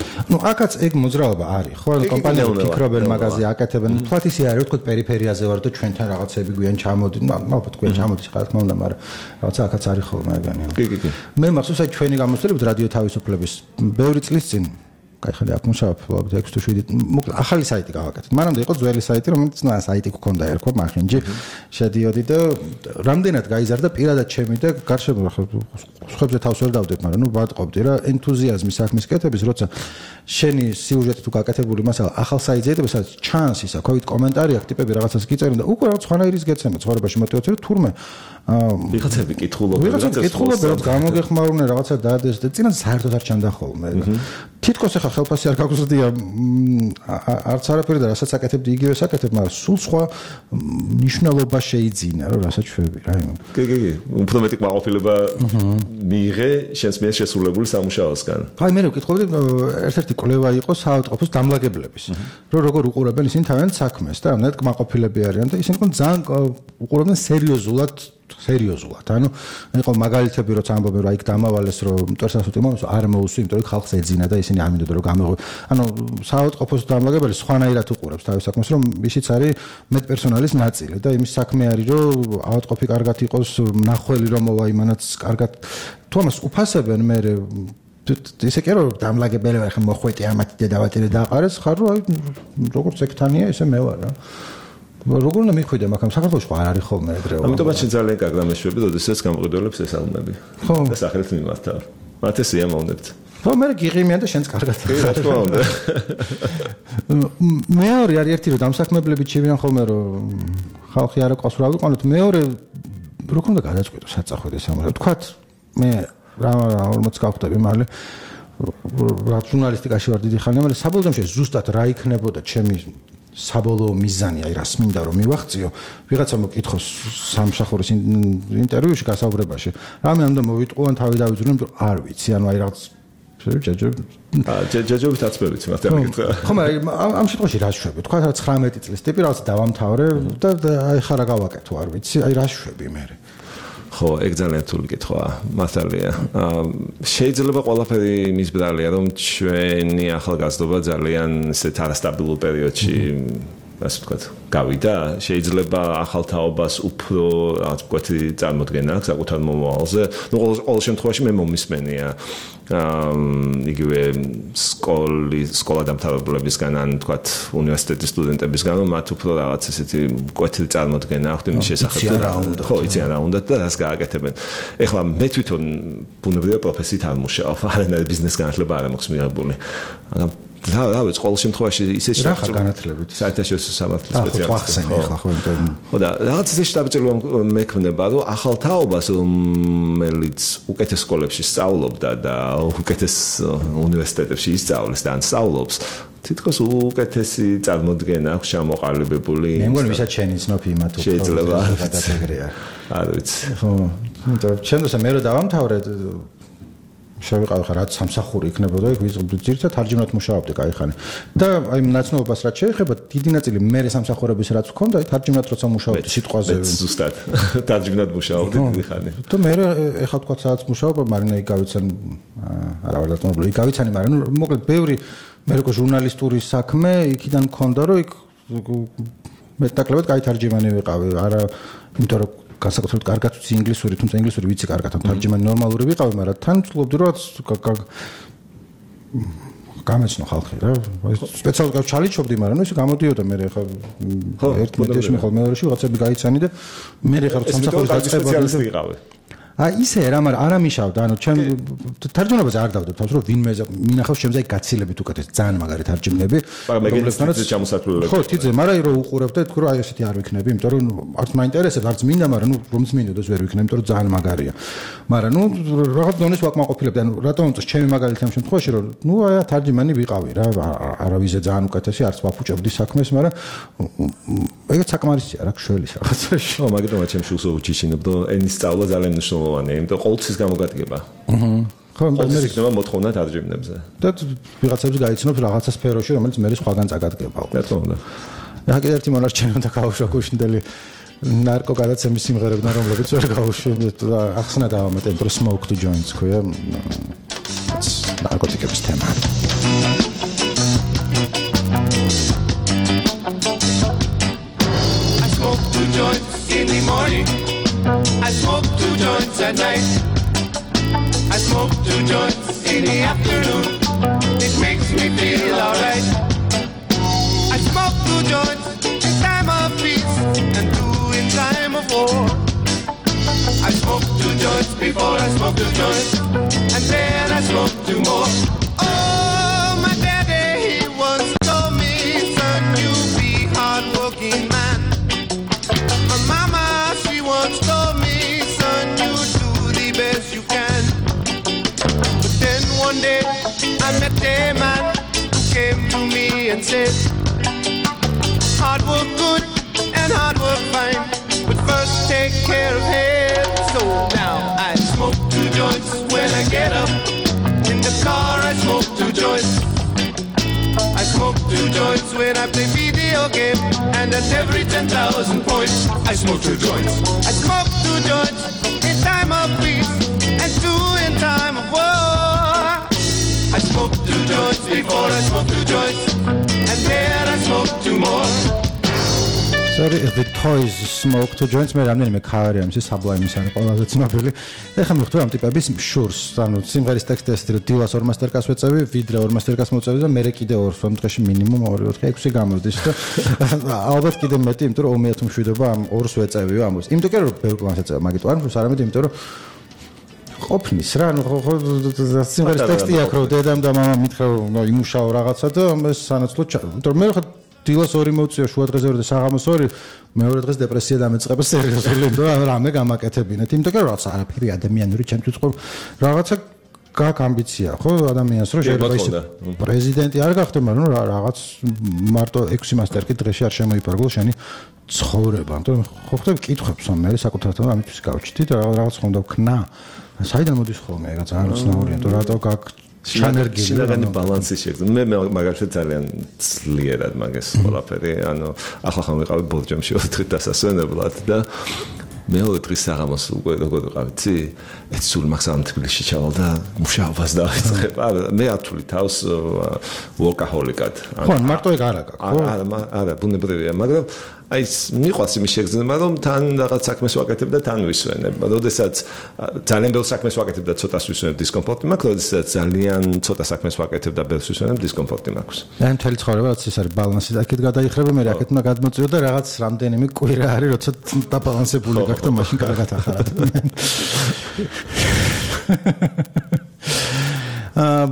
აქაც ეგ მოძრაობა არის, ხო? კომპანიები ფიქრობენ მაგაზე აკეთებენ. თქვათ ისე არის, ვთქვათ პერიფერიაზე ვარ და ჩვენთან რაღაცები გვიან ჩამოდი, ალბათ გვიან ჩამოდის რა თქმა უნდა, მაგრამ რაღაცა აქაც არის ხოლმე ეგანი. კი. მე მახსოვს აი ჩვენი გამოცდილებით რადიო თავისუფლების ბევრი წლის წინ ხალხი აქ მუშაობ 6 თუ 7 მოკლედ ახალი საიტი გავაკეთეთ. მანამდე იყო ძველი საიტი, რომელიც საიტი გქონდა ერქვა მახინჯი. შედიოდი და რამდენად გაიზარდა პირადად ჩემი და გარშემო ხებზე თავს ვერ დავდებ, მაგრამ ვატყობდი რა ენთუზიაზმი საქმის კეთების, როცა შენი სიუჟეტი თუ გაკეთებული მასალა ახალ საიტზე იდებს, სადაც ჩანს ისა, COVID კომენტარი აქვს, ტიპები რაღაცას გიწერენ და უკვე რაღაც სხვანაირის გეცემა ცხოვრებაში мотиваცია, თურმე ვიღაცები კითხულობენ, რაც გამოგეხმაურნენ რაღაცა დადეს და წინათ საერთოდ არ ჩანდა ხოლმე. თითქოს ახლა ხელფასი არ გაგვზრდია არც არაფერი და რასაც აკეთებდი იგივე საკეთებ, მაგრამ სულ სხვა მნიშვნელობა შეიძინა, რომ რასაც შვები რა იმან. კი. უფრო მეტი კმაყოფილება მიიღე შენს მიერ შესრულებული სამუშაოსგან. აი მე ვკითხავდი, ერთ-ერთი კვლევა იყო საავადმყოფოს დამლაგებლების, რომ როგორ უყურებენ ისინი თავიანთ საქმეს და რამდენად კმაყოფილები არიან და ისინი ძალიან უყურებენ სერიოზულად. ანუ იყო მაგალითები როცა ამბობენ რომ აი დამავალეს რომ მტვერსასოთი მომს არ მოუსვი, იმიტომ რომ ხალხს ეძინა და ისინი არ მინდოდა რომ გამეღო. ანუ საავადმყოფოს დამლაგებელი სხვანაირად უყურებს თავის საქმეს, რომ ისიც არის მეტპერსონალის ნაწილი და იმის საქმე არის რომ ავადმყოფი კარგად იყოს, მნახველი რომ მოვა იმანაც კარგად. თუ ამას უფასებენ მე ისე კი რომ დამლაგებელი ვარ, ხა მოხვეტი ამათი დედავატირე დაყარეს, ხარ რომ აი როგორც ექთანია, ესე მე ვარ რა. როგორ უნდა მიხვიდე, მაგრამ საქართველოში არ არის ხოლმე ეგრეო. ამიტომაც ძალიან კარგ რამეშვები, როდესაც გამყიდველებს ესალმები. ხო. და სახელით მიმართავ. მათ ეს იამოვნებთ. ხო, მე გიღიმიან და შენც კარგად. რა თქმა უნდა. მეორე არის ერთი რომ დამსაქმებლები ჩივიან ხოლმე რომ ხალხი არ აყვას რა ვიყანოთ. მეორე როგორ უნდა გადაწყვეტო საწახვედ ეს ამბავი. თქვათ მე რა 40 გავხდები მალე რა ჟურნალისტიკაში ვარ დიდი ხანი, მაგრამ საბოლოო ჯამში ზუსტად რა იქნებოდა ჩემი საბოლოო მიზანი, აი რას მინდა რომ მივახციო, ვიღაცა მოკითხოს სამსახურის ინტერვიუში გასაუბრებაში. რამე უნდა მოვიტყუან თავი დავიძრუნო, იმიტომ არ ვიცი, ანუ აი რაღაც ჯაჯობით აწმებით მაგათ მეკითხა. ხო, მაგრამ ამ შემთხვევაში რა შვები? თქვა რა 19 წლის ტიპი რაღაც დავამთავრე და აი ხარა გავაკეთო, არ ვიცი, აი რა შვები მე. ხო, ეგ ძალიან რთული კითხვაა, მართალია. შეიძლება ყველაფერი იმის ბრალია, რომ ჩვენი ახალგაზრდობა ძალიან ისეთ არასტაბილურ პერიოდში ასე ვთქვათ, გავიდა, შეიძლება ახალ თაობას უფრო რაღაც მკვეთრი წარმოდგენა აქვს საკუთარ მომავალზე. ნუ ყოველ შემთხვევაში მე მომისმენია იგივე სკოლა დამთავრებულებისგან ან ვთქვათ უნივერსიტეტის სტუდენტებისგან რომ მათ უფრო რაღაც ესეთი მკვეთრი წარმოდგენა აქვთ იმის შესახებ ხო იციან რა უნდათ და რას გააკეთებენ. ეხლა მე თვითონ ბუნებრივია პროფესიით არ მუშაობ, არანაირი ბიზნეს განათლება არ მაქვს მიღებული. რა ვიცი, ყოველ შემთხვევაში ისე რა ხარ განათლებით? საერთაშორისო სამართლის სპეციალისტი. ხო, და რაღაც ისე შტაბჭირვა მექმნება, რომ ახალ თაობას რომელიც უკეთეს სკოლებში სწავლობდა და უკეთეს უნივერსიტეტებში ისწავლეს და ან სწავლობს, თითქოს უკეთესი წარმოდგენა აქვს ჩამოყალიბებული. მე მგონი ვისაც შენი ცნობი იმათ უფრო შეიძლება გადაგეგრია. არ ვიცი. ხო, ჩემთვის მე რო დავამთავრე შევიყავი ხარ რაც სამსახური იქნებოდა იქ ძირითადად თარჯიმნად მუშაობდი кайხანი და აი ნაცნობობას რაც შეეხება დიდი ნაწილი მე სამსახურების რაც ვქონდა თარჯიმნად როცა მუშაობდი სიტყვაზე ზუსტად თარჯიმნად მუშაობდი დიდი ხანი და მე ეხლა თქვა სადაც მუშაობ მარინა იგავიცან არა ვარ დათმობილი იგავიცანი მაგრამ ნუ მოკლედ ბევრი მე როგორ ჟურნალისტური საქმე იქიდან მქონდა რომ იქ მეტნაკლებად кай თარჯიმანი ვიყავი არა იმიტომ რომ განსაკუთრებით კარგად ვიცი ინგლისური, თუმცა ინგლისური ვიცი კარგად, თარჯიმანი ნორმალური ვიყავი, მაგრამ თან ვცდილობდი რომ გამეცნო ხალხი რა. სპეციალურად ჩალიჩობდი, მაგრამ ისე გამოდიოდა მე ხა ერთ მოდელში მე ხოლმე მეორეში ვიღაცები გაიცანი და მე ხა სამსახურის დაწყებამდე ვიყავი. აი ისე რა, მაგრამ არ ამიშავდა, ანუ ჩემ თარჯმანებაზე არ დავდებ თავს, რომ ვინმე მინახავს ჩემზე გაცილებით უკეთეს ძალიან მაგარი თარჯმნები, რომლებსაც ჩამოსათვლელები. ხო, თიძე, მაგრამ რო უყურებ და თქო რა აი ესეთი არ ვიქნები, იმიტომ რომ არც მაინტერესებს, არც მინდა, მაგრამ ნუ რომც მინდოდეს ვერ ვიქნები, იმიტომ რომ ძალიან მაგარია. მაგრამ ნუ რაღაც დონეს ვაკმაყოფილებდი, ანუ რატომ უწევს ჩემი მაგალითი ამ შემთხვევაში, რომ ნუ აი თარჯმანი ვიყავი რა, არავიზე ძალიან უკეთესი, არც ვაფუჭებდი საქმეს, მაგრამ ეგეც საკმარისია რა, შველის რაღაცაში. ხო, მაგიტომაც ჩემ შულს უჩიჩინებდო, ენის სწავლა ძალიან მნიშვნელოვანია, იმიტომ ყოველთვის გამოგადგება. ხო, მე იქნება მოთხოვნა თარჯიმნებზე. და ვიღაცებს გაიცნობს რაღაცა სფეროში, რომელიც მე სხვაგან წაგადგება. რა თქმა უნდა. რა კიდევ ერთი მონარჩენი უნდა გავუშვა გუშინდელი ნარკო გადაცემის სიმღერებიდან, რომლებიც ვერ გავუშვებთ და ახსნა დავამატე, რომ smoke to joints ქვია. ნარკოტიკების თემა. I smoke 2 joints in the morning. I smoke 2 joints at night. I smoke 2 joints in the afternoon. It makes me feel alright. I smoke 2 joints in time of peace and 2 in time of war. I smoke 2 joints before I smoke 2 joints, and then I smoke 2 more. Oh, my daddy, he once told me, son, you be hard-working man. My mama, she once told me, son, you do the best you can. But then one day I met a man who came to me and said, hard work good and hard work fine, but first take care of health. So now I smoke 2 joints when I get up. In the car I smoke 2 joints. I smoke 2 joints when I play video game, and at every 10,000 points I smoke 2 joints. I smoke 2 joints in time of peace and 2 in time of war. I smoke 2 joints before I smoke 2 joints, and then I smoke 2 more. Sorry, the toys smoke to joints მე რამდენიმე ქავერი ამის საბლაიმის არის ყველაზე ცნობილი. ეხლა მივხვდი ამ ტიპების შურს, ანუ სიმღერის ტექსტი ეს რომ დილას 2 მასტერკლასს ვეწევი, ვიდრე 2 მასტერკლასს მოწევი და მე კიდე 2 დღეში მინიმუმ 2-4-6 გამოვდის და ალბათ კიდე მეტი, იმიტომ რომ ომიათ მშვიდობა ამ 2-ს ვეწევიო ამას. იმიტომ კი რომ ბევრ კლანს ეწევა, მაგით არ მშვიდობ, არამედ იმიტომ რომ ყოფნის რა, ანუ სიმღერის ტექსტი აქვს რომ დედამ და მამამ მითხრა რომ იმუშაო რაღაცა და ეს სანაცვლოდ იმიტომ რომ მე ხა დილას 2 მოვწია, შუა დღეზე 2 და საღამოს 2, მეორე დღეს დეპრესია დამეწყება სერიოზული, და რამე გამაკეთებინეთ. იმიტომ რომ რაღაცა არაფერი ადამიანური ჩემთვის ყო რაღაცა გაქვს ამბიცია, ხო, ადამიანს რომ შეიძლება ის პრეზიდენტი არ გახდე, მაგრამ რაღაც მარტო 6 მასტერკი დღეში არ შემოიფარგლო შენი ცხოვრება. ანუ ხო ხდება კითხებს ამ მე საკუთართან ამისთვის გავჩიტი და რაღაც ხომ დავქნა. საიდან მოდის ხოლმე ეგ ძალიან უცნაურია, თუ რატო გაქვს შინაგანი ბალანსი შეგვიძლია. მე მაგალითად ძალიან ძლიერად მაგას ყველაფერი, ანუ ახლა ხომ ვიყავი ბორჯომში 4 დღით დასასვენებლად და მეორე დღის საღამოს უკვე როგორ ვიყავ, იცი? სულ მაგსამ თბილისში ჩავალ და მუშაობას დავიწყებ. მე ართული თავს ვორკაჰოლიკად. ხო, მარტო ეგ არა გაქვს, ხო? არა, ბუნებრივია, მაგრამ აი მიყვარს იმის შეგრძნება, რომ თან რაღაც საქმეს ვაკეთებ და თან ვისვენებ. როდესაც ძალიან ბევრ საქმეს ვაკეთებ და ცოტას ვისვენებ, დისკომფორტი მაქვს, როდესაც ძალიან ცოტა საქმეს ვაკეთებ და ბევრს ვისვენებ, დისკომფორტი მაქვს. და მთელი ცხოვრება ეს არის ბალანსი. აქეთ გადაიხრება, მე აქეთ უნდა გადმოწიო და რაღაც რამდენიმე კვირა არის, როცა დაბალანსებული გაქვს და მაშინ კარგად ახარებ.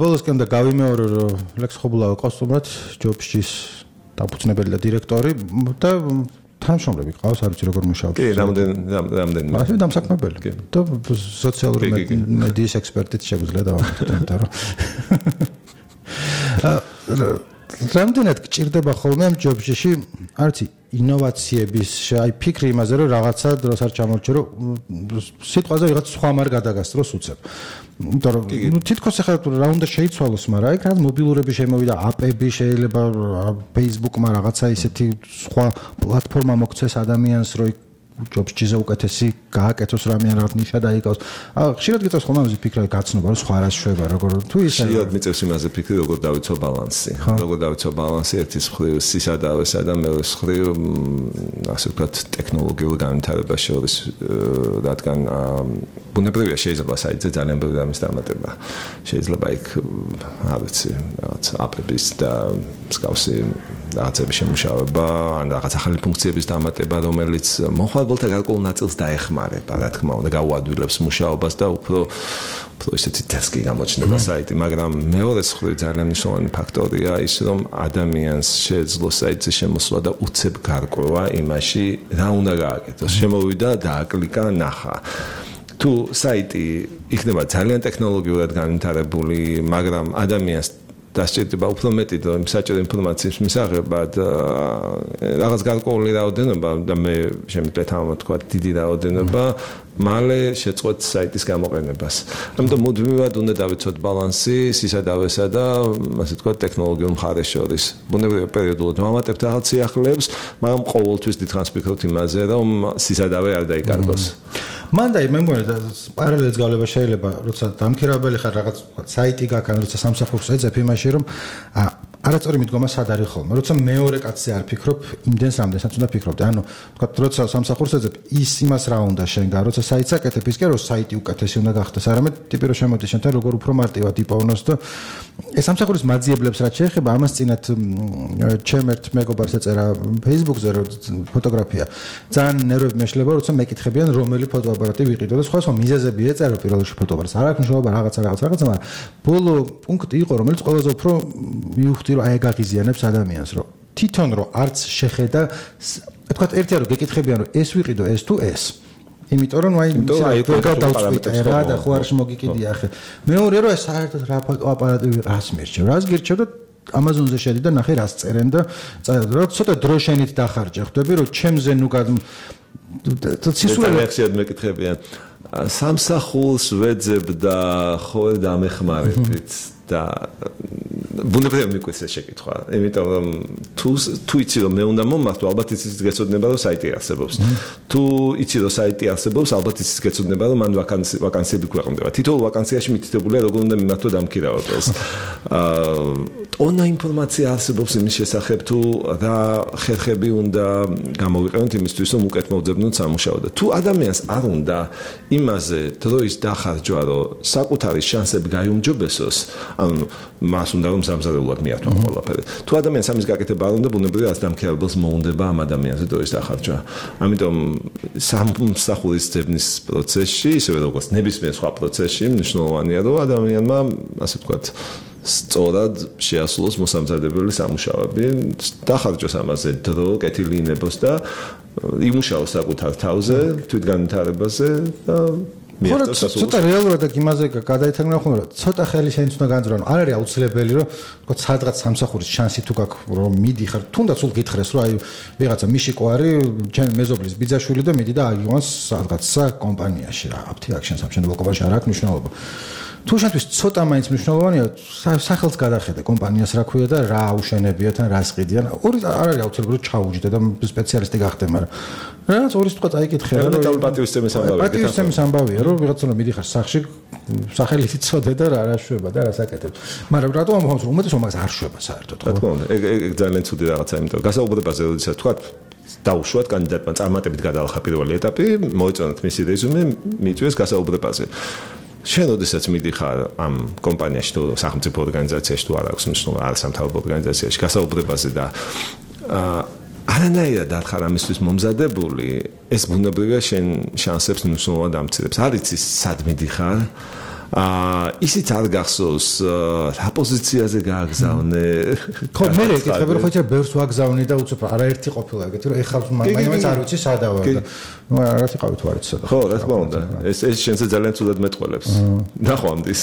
ბოლოსკენ და გავიმეორო, რომ ლექს ხობულავა ყავს უბრალოდ ჯობშის დაფუძნებელი და დირექტორი და თანამშრომლები ყავს, არ ვიცი როგორ მუშაობს. კი, რამდენი. ასე დამსაქმებელი. და სოციალური მედიის ექსპერტიც შეგვიძლია დავამატოთ, იმიტომ რომ რამდენად გჭირდება ხოლმე ამ ჯობშში, არ ვიცი, ინოვაციების, აი ფიქრი იმაზე, რომ რაღაცა დროს არ ჩამორჩე, რომ სიტყვაზე ვიღაც სხვა მარ გადაგასწროს უცებ. იმიტომ რომ თითქოს ახლა რა უნდა შეიცვალოს, მაგრამ აი რაღაც მობილურები შემოვიდა, აპები შეიძლება Facebook-მა რაღაცა ისეთი სხვა პლატფორმა მოგცეს ადამიანს, რომ ჯობშიზე უკეთესი გააკეთოს რამე ან რაღაც ნიშა დაიკავოს. ხშირად გიწევს ხოლმე ამაზე ფიქრი, გაცნობა, რომ სხვა რას შვება, როგორ თუ ისე. ხშირად მიწევს იმაზე ფიქრი, როგორ დავიცვა ბალანსი. როგორ დავიცვა ბალანსი ერთის მხრივ სისადავესა და მეორეს მხრივ ასე ვთქვათ ტექნოლოგიურ განვითარებას შორის, რადგან ბუნებრივია შეიძლება საიტზე ძალიან ბევრი რამის დამატება. შეიძლება იქ არ ვიცი, რაღაც აპების და მსგავსი რაღაცების შემუშავება, ან რაღაც ახალი ფუნქციების დამატება, რომელიც მომხმარებელთა გარკვეულ ნაწილს დაეხმარება, რა თქმა უნდა, გაუადვილებს მუშაობას და უფრო ისეთი თესკი გამოჩნდება საიტი, მაგრამ მეორე მხრივ ძალიან მნიშვნელოვანი ფაქტორია ის, რომ ადამიანს შეეძლო საიტზე შემოსვლა და უცებ გარკვევა იმაში, რა უნდა გააკეთოს. შემოვიდა, დააკლიკა, ნახა. თუ საიტი იქნება ძალიან ტექნოლოგიურად განვითარებული, მაგრამ ადამიანს დასჭირდება უფრო მეტი და საჭირო ინფორმაციის მისაღებად რაღაც გარკვეული რაოდენობა და მე შემიძლია თამამთქვა დიდი რაოდენობა მალე შეწყვეტ საიტის გამოყენებას. ამიტომ მუდმივად უნდა დავიცოთ ბალანსი სისადავესა და ასე თქვა ტექნოლოგიურ მხარეს შორის. ბუნებრივია პერიოდულად ვამატებთ რაღაც სიახლეებს, მაგრამ ყოველთვის დიდხანს ვფიქრობთ იმაზე, რომ სისადავე არ დაიკარგოს. მანდაი მე მგონია პარალელს გავლება შეიძლება, როცა დამქირავებელი ხარ რაღაც საიტი გაქვს, ან როცა სამსახურს ეძებ იმაში, რომ არაწორი მიდგომა სად არის ხოლმე. როცა მეორე კაცზე არ ფიქრობ, იმდენს რამდენსაც უნდა ფიქრობდი. ანუ თქვა, როცა სამსახურს ეძებ, ის იმას რა უნდა შენგა, როცა საიტს აკეთებ, ის კი რომ საიტი უკეთესი უნდა გახდეს, არამედ ტიპი რომ შემოდის შენთან, როგორ უფრო მარტივად იპოვნოს და ეს სამსახურის მაძიებლებს რაც შეეხება, ამას წინათ ჩემ ერთ მეგობარს ეწერა Facebook-ზე ფოტოგრაფია. ძალიან ნერვები მეშლება, როცა მეკითხებიან, რომელი ფოტოაპარატი ვიყიდო და სხვა მიზეზები ეწერა პირველ რიგში ფოტოაპარატს. არ აქვს მნიშვნელობა რაღაცა, მაგრამ ბოლო პუნქტი იყო, რომელიც ყველაზე უფრო მივხვდი რომ აი გაღიზიანებს ადამიანს, რომ თვითონ რომ არც შეხედა, თქვა ერთია რომ გეკითხებიან რომ ეს ვიყიდო ეს თუ ეს. იმიტომ რომ აი გადავწყვიტე რა და ხო არ შემოგიკიდია ახლა. მეორე რომ საერთოდ რა აპარატი რას მერჩევ, რას გირჩევ და Amazon-ზე შედი და ნახე რას წერენ და რა ცოტა დრო შენით დახარჯე. ხვდები რომ ჩემზე ნუ სისულელე ხშირად მეკითხებიან სამსახურს ვეძებ და ხო დამეხმარებით და ბუნებრივია მიკვეს ეს შეკითხვა. იმიტომ რომ თუ იცი რომ მე უნდა მომართო, ალბათ იცით გეცოდნება რომ საიტი არსებობს. თუ იცი რომ საიტი არსებობს, ალბათ იცით გეცოდნება რომ მან ვაკანსიები ქვეყნდება. თითოეულ ვაკანსიაში მითითებულია როგორ უნდა მიმართო დამქირავებელს. ტონა ინფორმაცია არსებობს იმის შესახებ თუ რა ხერხები უნდა გამოვიყენოთ იმისთვის რომ უკეთ მოვძებნოთ სამუშაო და თუ ადამიანს არ უნდა იმაზე დროის დახარჯვა რომ საკუთარი შანსები გაიუმჯობესოს, ანუ მას უნდა რომ სამზარეულოდ მიართვა ყველაფერი. თუ ადამიანს ამის გაკეთება არ უნდა, ბუნებრივია რაც დამქირავებელს მოუნდება ამ ადამიანზე დროის დახარჯვა. ამიტომ სამსახურის ძებნის პროცესში, ისევე როგორც ნებისმიერ სხვა პროცესში, მნიშვნელოვანია რომ ადამიანმა, ასე ვთქვათ, სწორად შეასრულოს მოსამზადებელი სამუშაოები, დახარჯოს ამაზე დრო, კეთილი ინებოს და იმუშაოს საკუთარ თავზე, თვითგანვითარებაზე და ცოტა რეალურად აქ იმაზე გადაითარგმნა ხოლმე რომ ცოტა ხელი შენც უნდა განძრო, არ არის აუცილებელი რომ თქო სადღაც სამსახურის შანსი თუ გაქვს რომ მიდიხარ, თუნდაც სულ გითხრეს რომ აი ვიღაცა მიშიკო არის, ჩემი მეზობლის ბიძაშვილი და მიდი და აგიგვანს სადღაცა კომპანიაში რა, აფთი აქ შენ სამშენებლო კომპანიაში არ აქვს მნიშვნელობა. თუ შენთვის ცოტა მაინც მნიშვნელოვანია სახელს გადახედე კომპანიას რა ქვია და რა აუშენებიათ ან რას ყიდიან ორი არ არის აუცილებლად ჩაუჯდე და სპეციალისტი გახდე მაგრამ რაღაც ორი თქვა წაიკითხე რა პატივისცემის ამბავია პატივისცემის ამბავია რომ ვიღაცა რომ მიდიხარ სახში სახელი იცოდე და რა შვება და რა საკეთებ მაგრამ რატომ ამბობს რომ უმეტესობა მაგას არ შვება საერთოდ რა თქმა უნდა ეგ ძალიან ცუდი რაღაცაა იმიტომ რომ გასაუბრებაზე როდესაც თქვა დაუშვათ კანდიდატმა წარმატებით გადაალხა პირველი ეტაპი მოეწონათ მისი რეზუმე მიწვიეს გასაუბრებაზე შენ როდესაც მიდიხარ ამ კომპანიაში თუ სახელმწიფო ორგანიზაციაში თუ არ აქვს მნიშვნელობა არ სამთავრობო ორგანიზაციაში გასაუბრებაზე და არანაირად არ ხარ ამისთვის მომზადებული ეს ბუნებრივია შენ შანსებს მნიშვნელოვნად ამცირებს არ იცი სად მიდიხარ ისიც არ გახსოვს რა პოზიციაზე გააგზავნე ხო მე ეკითხები რომ ხო ბევრს ვაგზავნე და უცებ არაერთი ყოფილა ეგეთი რომ ეხლა მაინც არ ვიცი სადავარ და ნუ რაღაც იყავით თუ არ იცი სადა ხო რა თქმა უნდა ეს შენზე ძალიან ცუდად მეტყველებს ნახო ამდის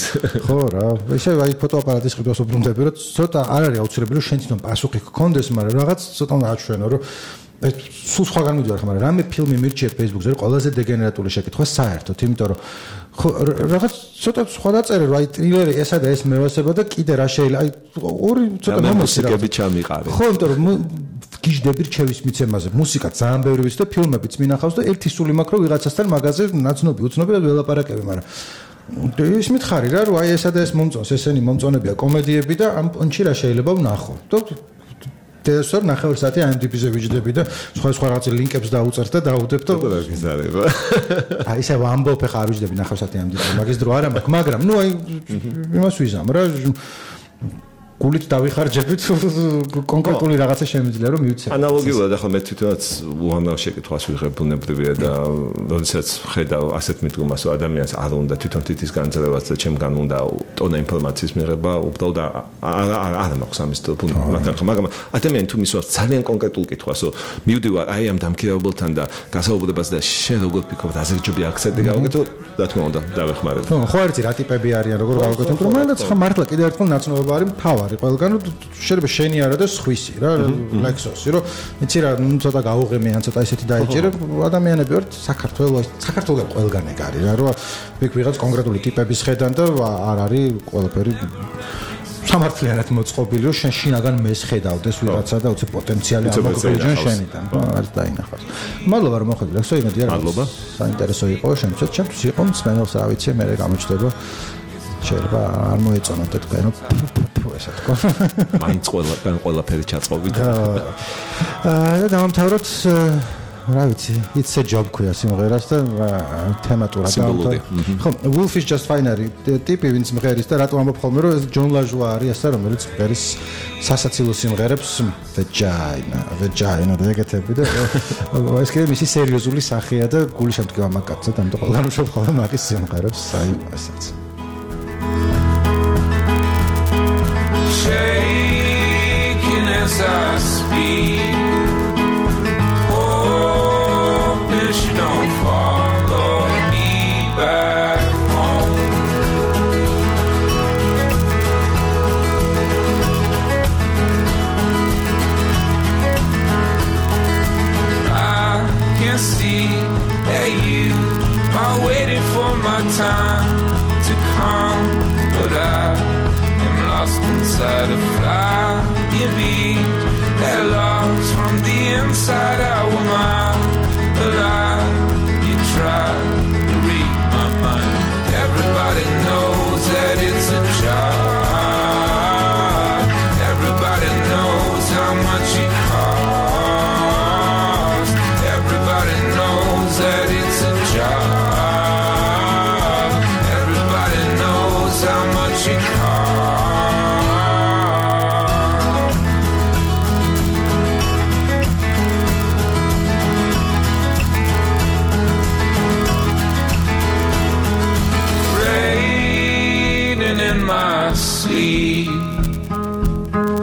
ხო რა ესე აი ფოტოაპარატის ყიდვას უბრუნდები რომ ცოტა არ არის აუცილებელი რომ შენ თვითონ პასუხი გქონდეს მაგრამ რაღაც ცოტა აჩვენო რომ სულ სხვაგან მიდივარ ხა მაგრამ რამე ფილმი მირჩიე Facebook-ზე რომ ყველაზე დეგენერატული შეკითხვა საერთოდ იმიტომ რომ ხო რაღაც ცოტა სხვა დაწერე რომ აი ტრილერი ესა და ეს მევასება და კიდე რა შეიძლება აი ორი ცოტა მუსიკები ჩამიყარე ხო იმიტომ რომ გიждები რჩევის მიცემაზე მუსიკა ძალიან ბევრი ვიცი და ფილმებიც მინახავს და ერთი სული მაქვს რომ ვიღაცასთან მაგაზე ნაცნობი უცნობი და ველაპარაკები მაგრამ ის მითხარი რა რომ აი ესა და ეს მომწონს ესენი მომწონებია კომედიები და ამ პონჩი რა შეიძლება ვნახო დესორ ნახევარ საათი IMDb-ზე ვიჯდები და სხვა რაღაც ლინკებს დაუწერთ და დაუდებ და რა გიზარება აი ესე ვამბობ ხა არ ვიჯდები ნახევარ საათი IMDb-ზე მაგის დრო არ მაქვს მაგრამ ნუ აი იმას ვიზამ რა გულით დავიხარჯებით კონკრეტული რაღაცა შემიძლია რომ მივცე. ანალოგიურად ახლა მე თვითონაც უამრავ შეკითხვას ვიღებ ბუნებრივია და როდესაც ხედავ ასეთ მიდგომას რომ ადამიანს არ უნდა თვითონ თითის განძლევაც და ჩემგან უნდა ტონა ინფორმაციის მიღება უბრალოდ არ მაქვს ამის მაგრამ ადამიანი თუ მისვავს ძალიან კონკრეტულ კითხვას რომ მივდივარ აი ამ დამქირავებელთან და გასაუბრებას და შენ როგორ ფიქრობ აზერჯობი აქცენტი გავაკეთო რა თქმა უნდა დავეხმარებ. ხო არ იცი რა ტიპები არიან როგორ გავაკეთო მაგრამ ხა მართლა კიდევ ერთხელ ნაცნობობა არის მთავარი ყველგან შეიძლება შენი არა და სხვისი რა ლექსოსი რომ იცი რა ცოტა გაუღემე ან ცოტა ისეთი დაიჭირე ადამიანები ვართ საქართველოს ყველგან ეგ არის რა რომ იქ ვიღაც კონკრეტული ტიპების ხედან და არ არის ყველაფერი სამართლიანად მოწყობილი რომ შენ შინაგან მეს ხედავდეს ვიღაცა და უცებ პოტენციალი ამოგვიჯენ შენიდან არ დაინახავს. მადლობა რომ მოხვედი ლექსო იმედია რა საინტერესო იყო ჩემთვის იყო მსმენელს რა ვიცი მე გამოჩნდება შეიძლება არ მოეწონოთ თქვენ ესა თქო მაინც ყველაფერი ჩაწყობით და დავამთავროთ რა ვიცი it's a job ქვია სიმღერას და თემატურად ხო Wolf is just fine არის ტიპი ვინც მღერის და რატო ამბობ ხოლმე რომ ეს ჯონ ლაჟუა არის ასე რომელიც მღერის სასაცილო სიმღერებს vagina და ეგეთები და ეს კიდე მისი სერიოზული სახეა და გული შემდგება მაგკაცად ამიტომ ყველგან უშობ ხოლმე მაგის სიმღერებს აი ასეც shaking as I speak. Hope she don't follow me back home. I can see that you are waiting for my time to come, but I lost inside a flying beat that lost from the inside out of mine. But you try to read my mind. Everybody knows that it's a job. Everybody knows how much it costs. Everybody knows that it's a job. Everybody knows how much it costs.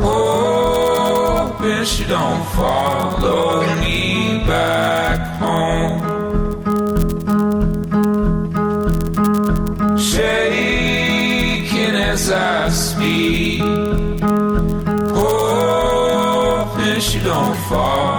Hoping she don't follow me back home. Shaking as I speak. Hoping she don't follow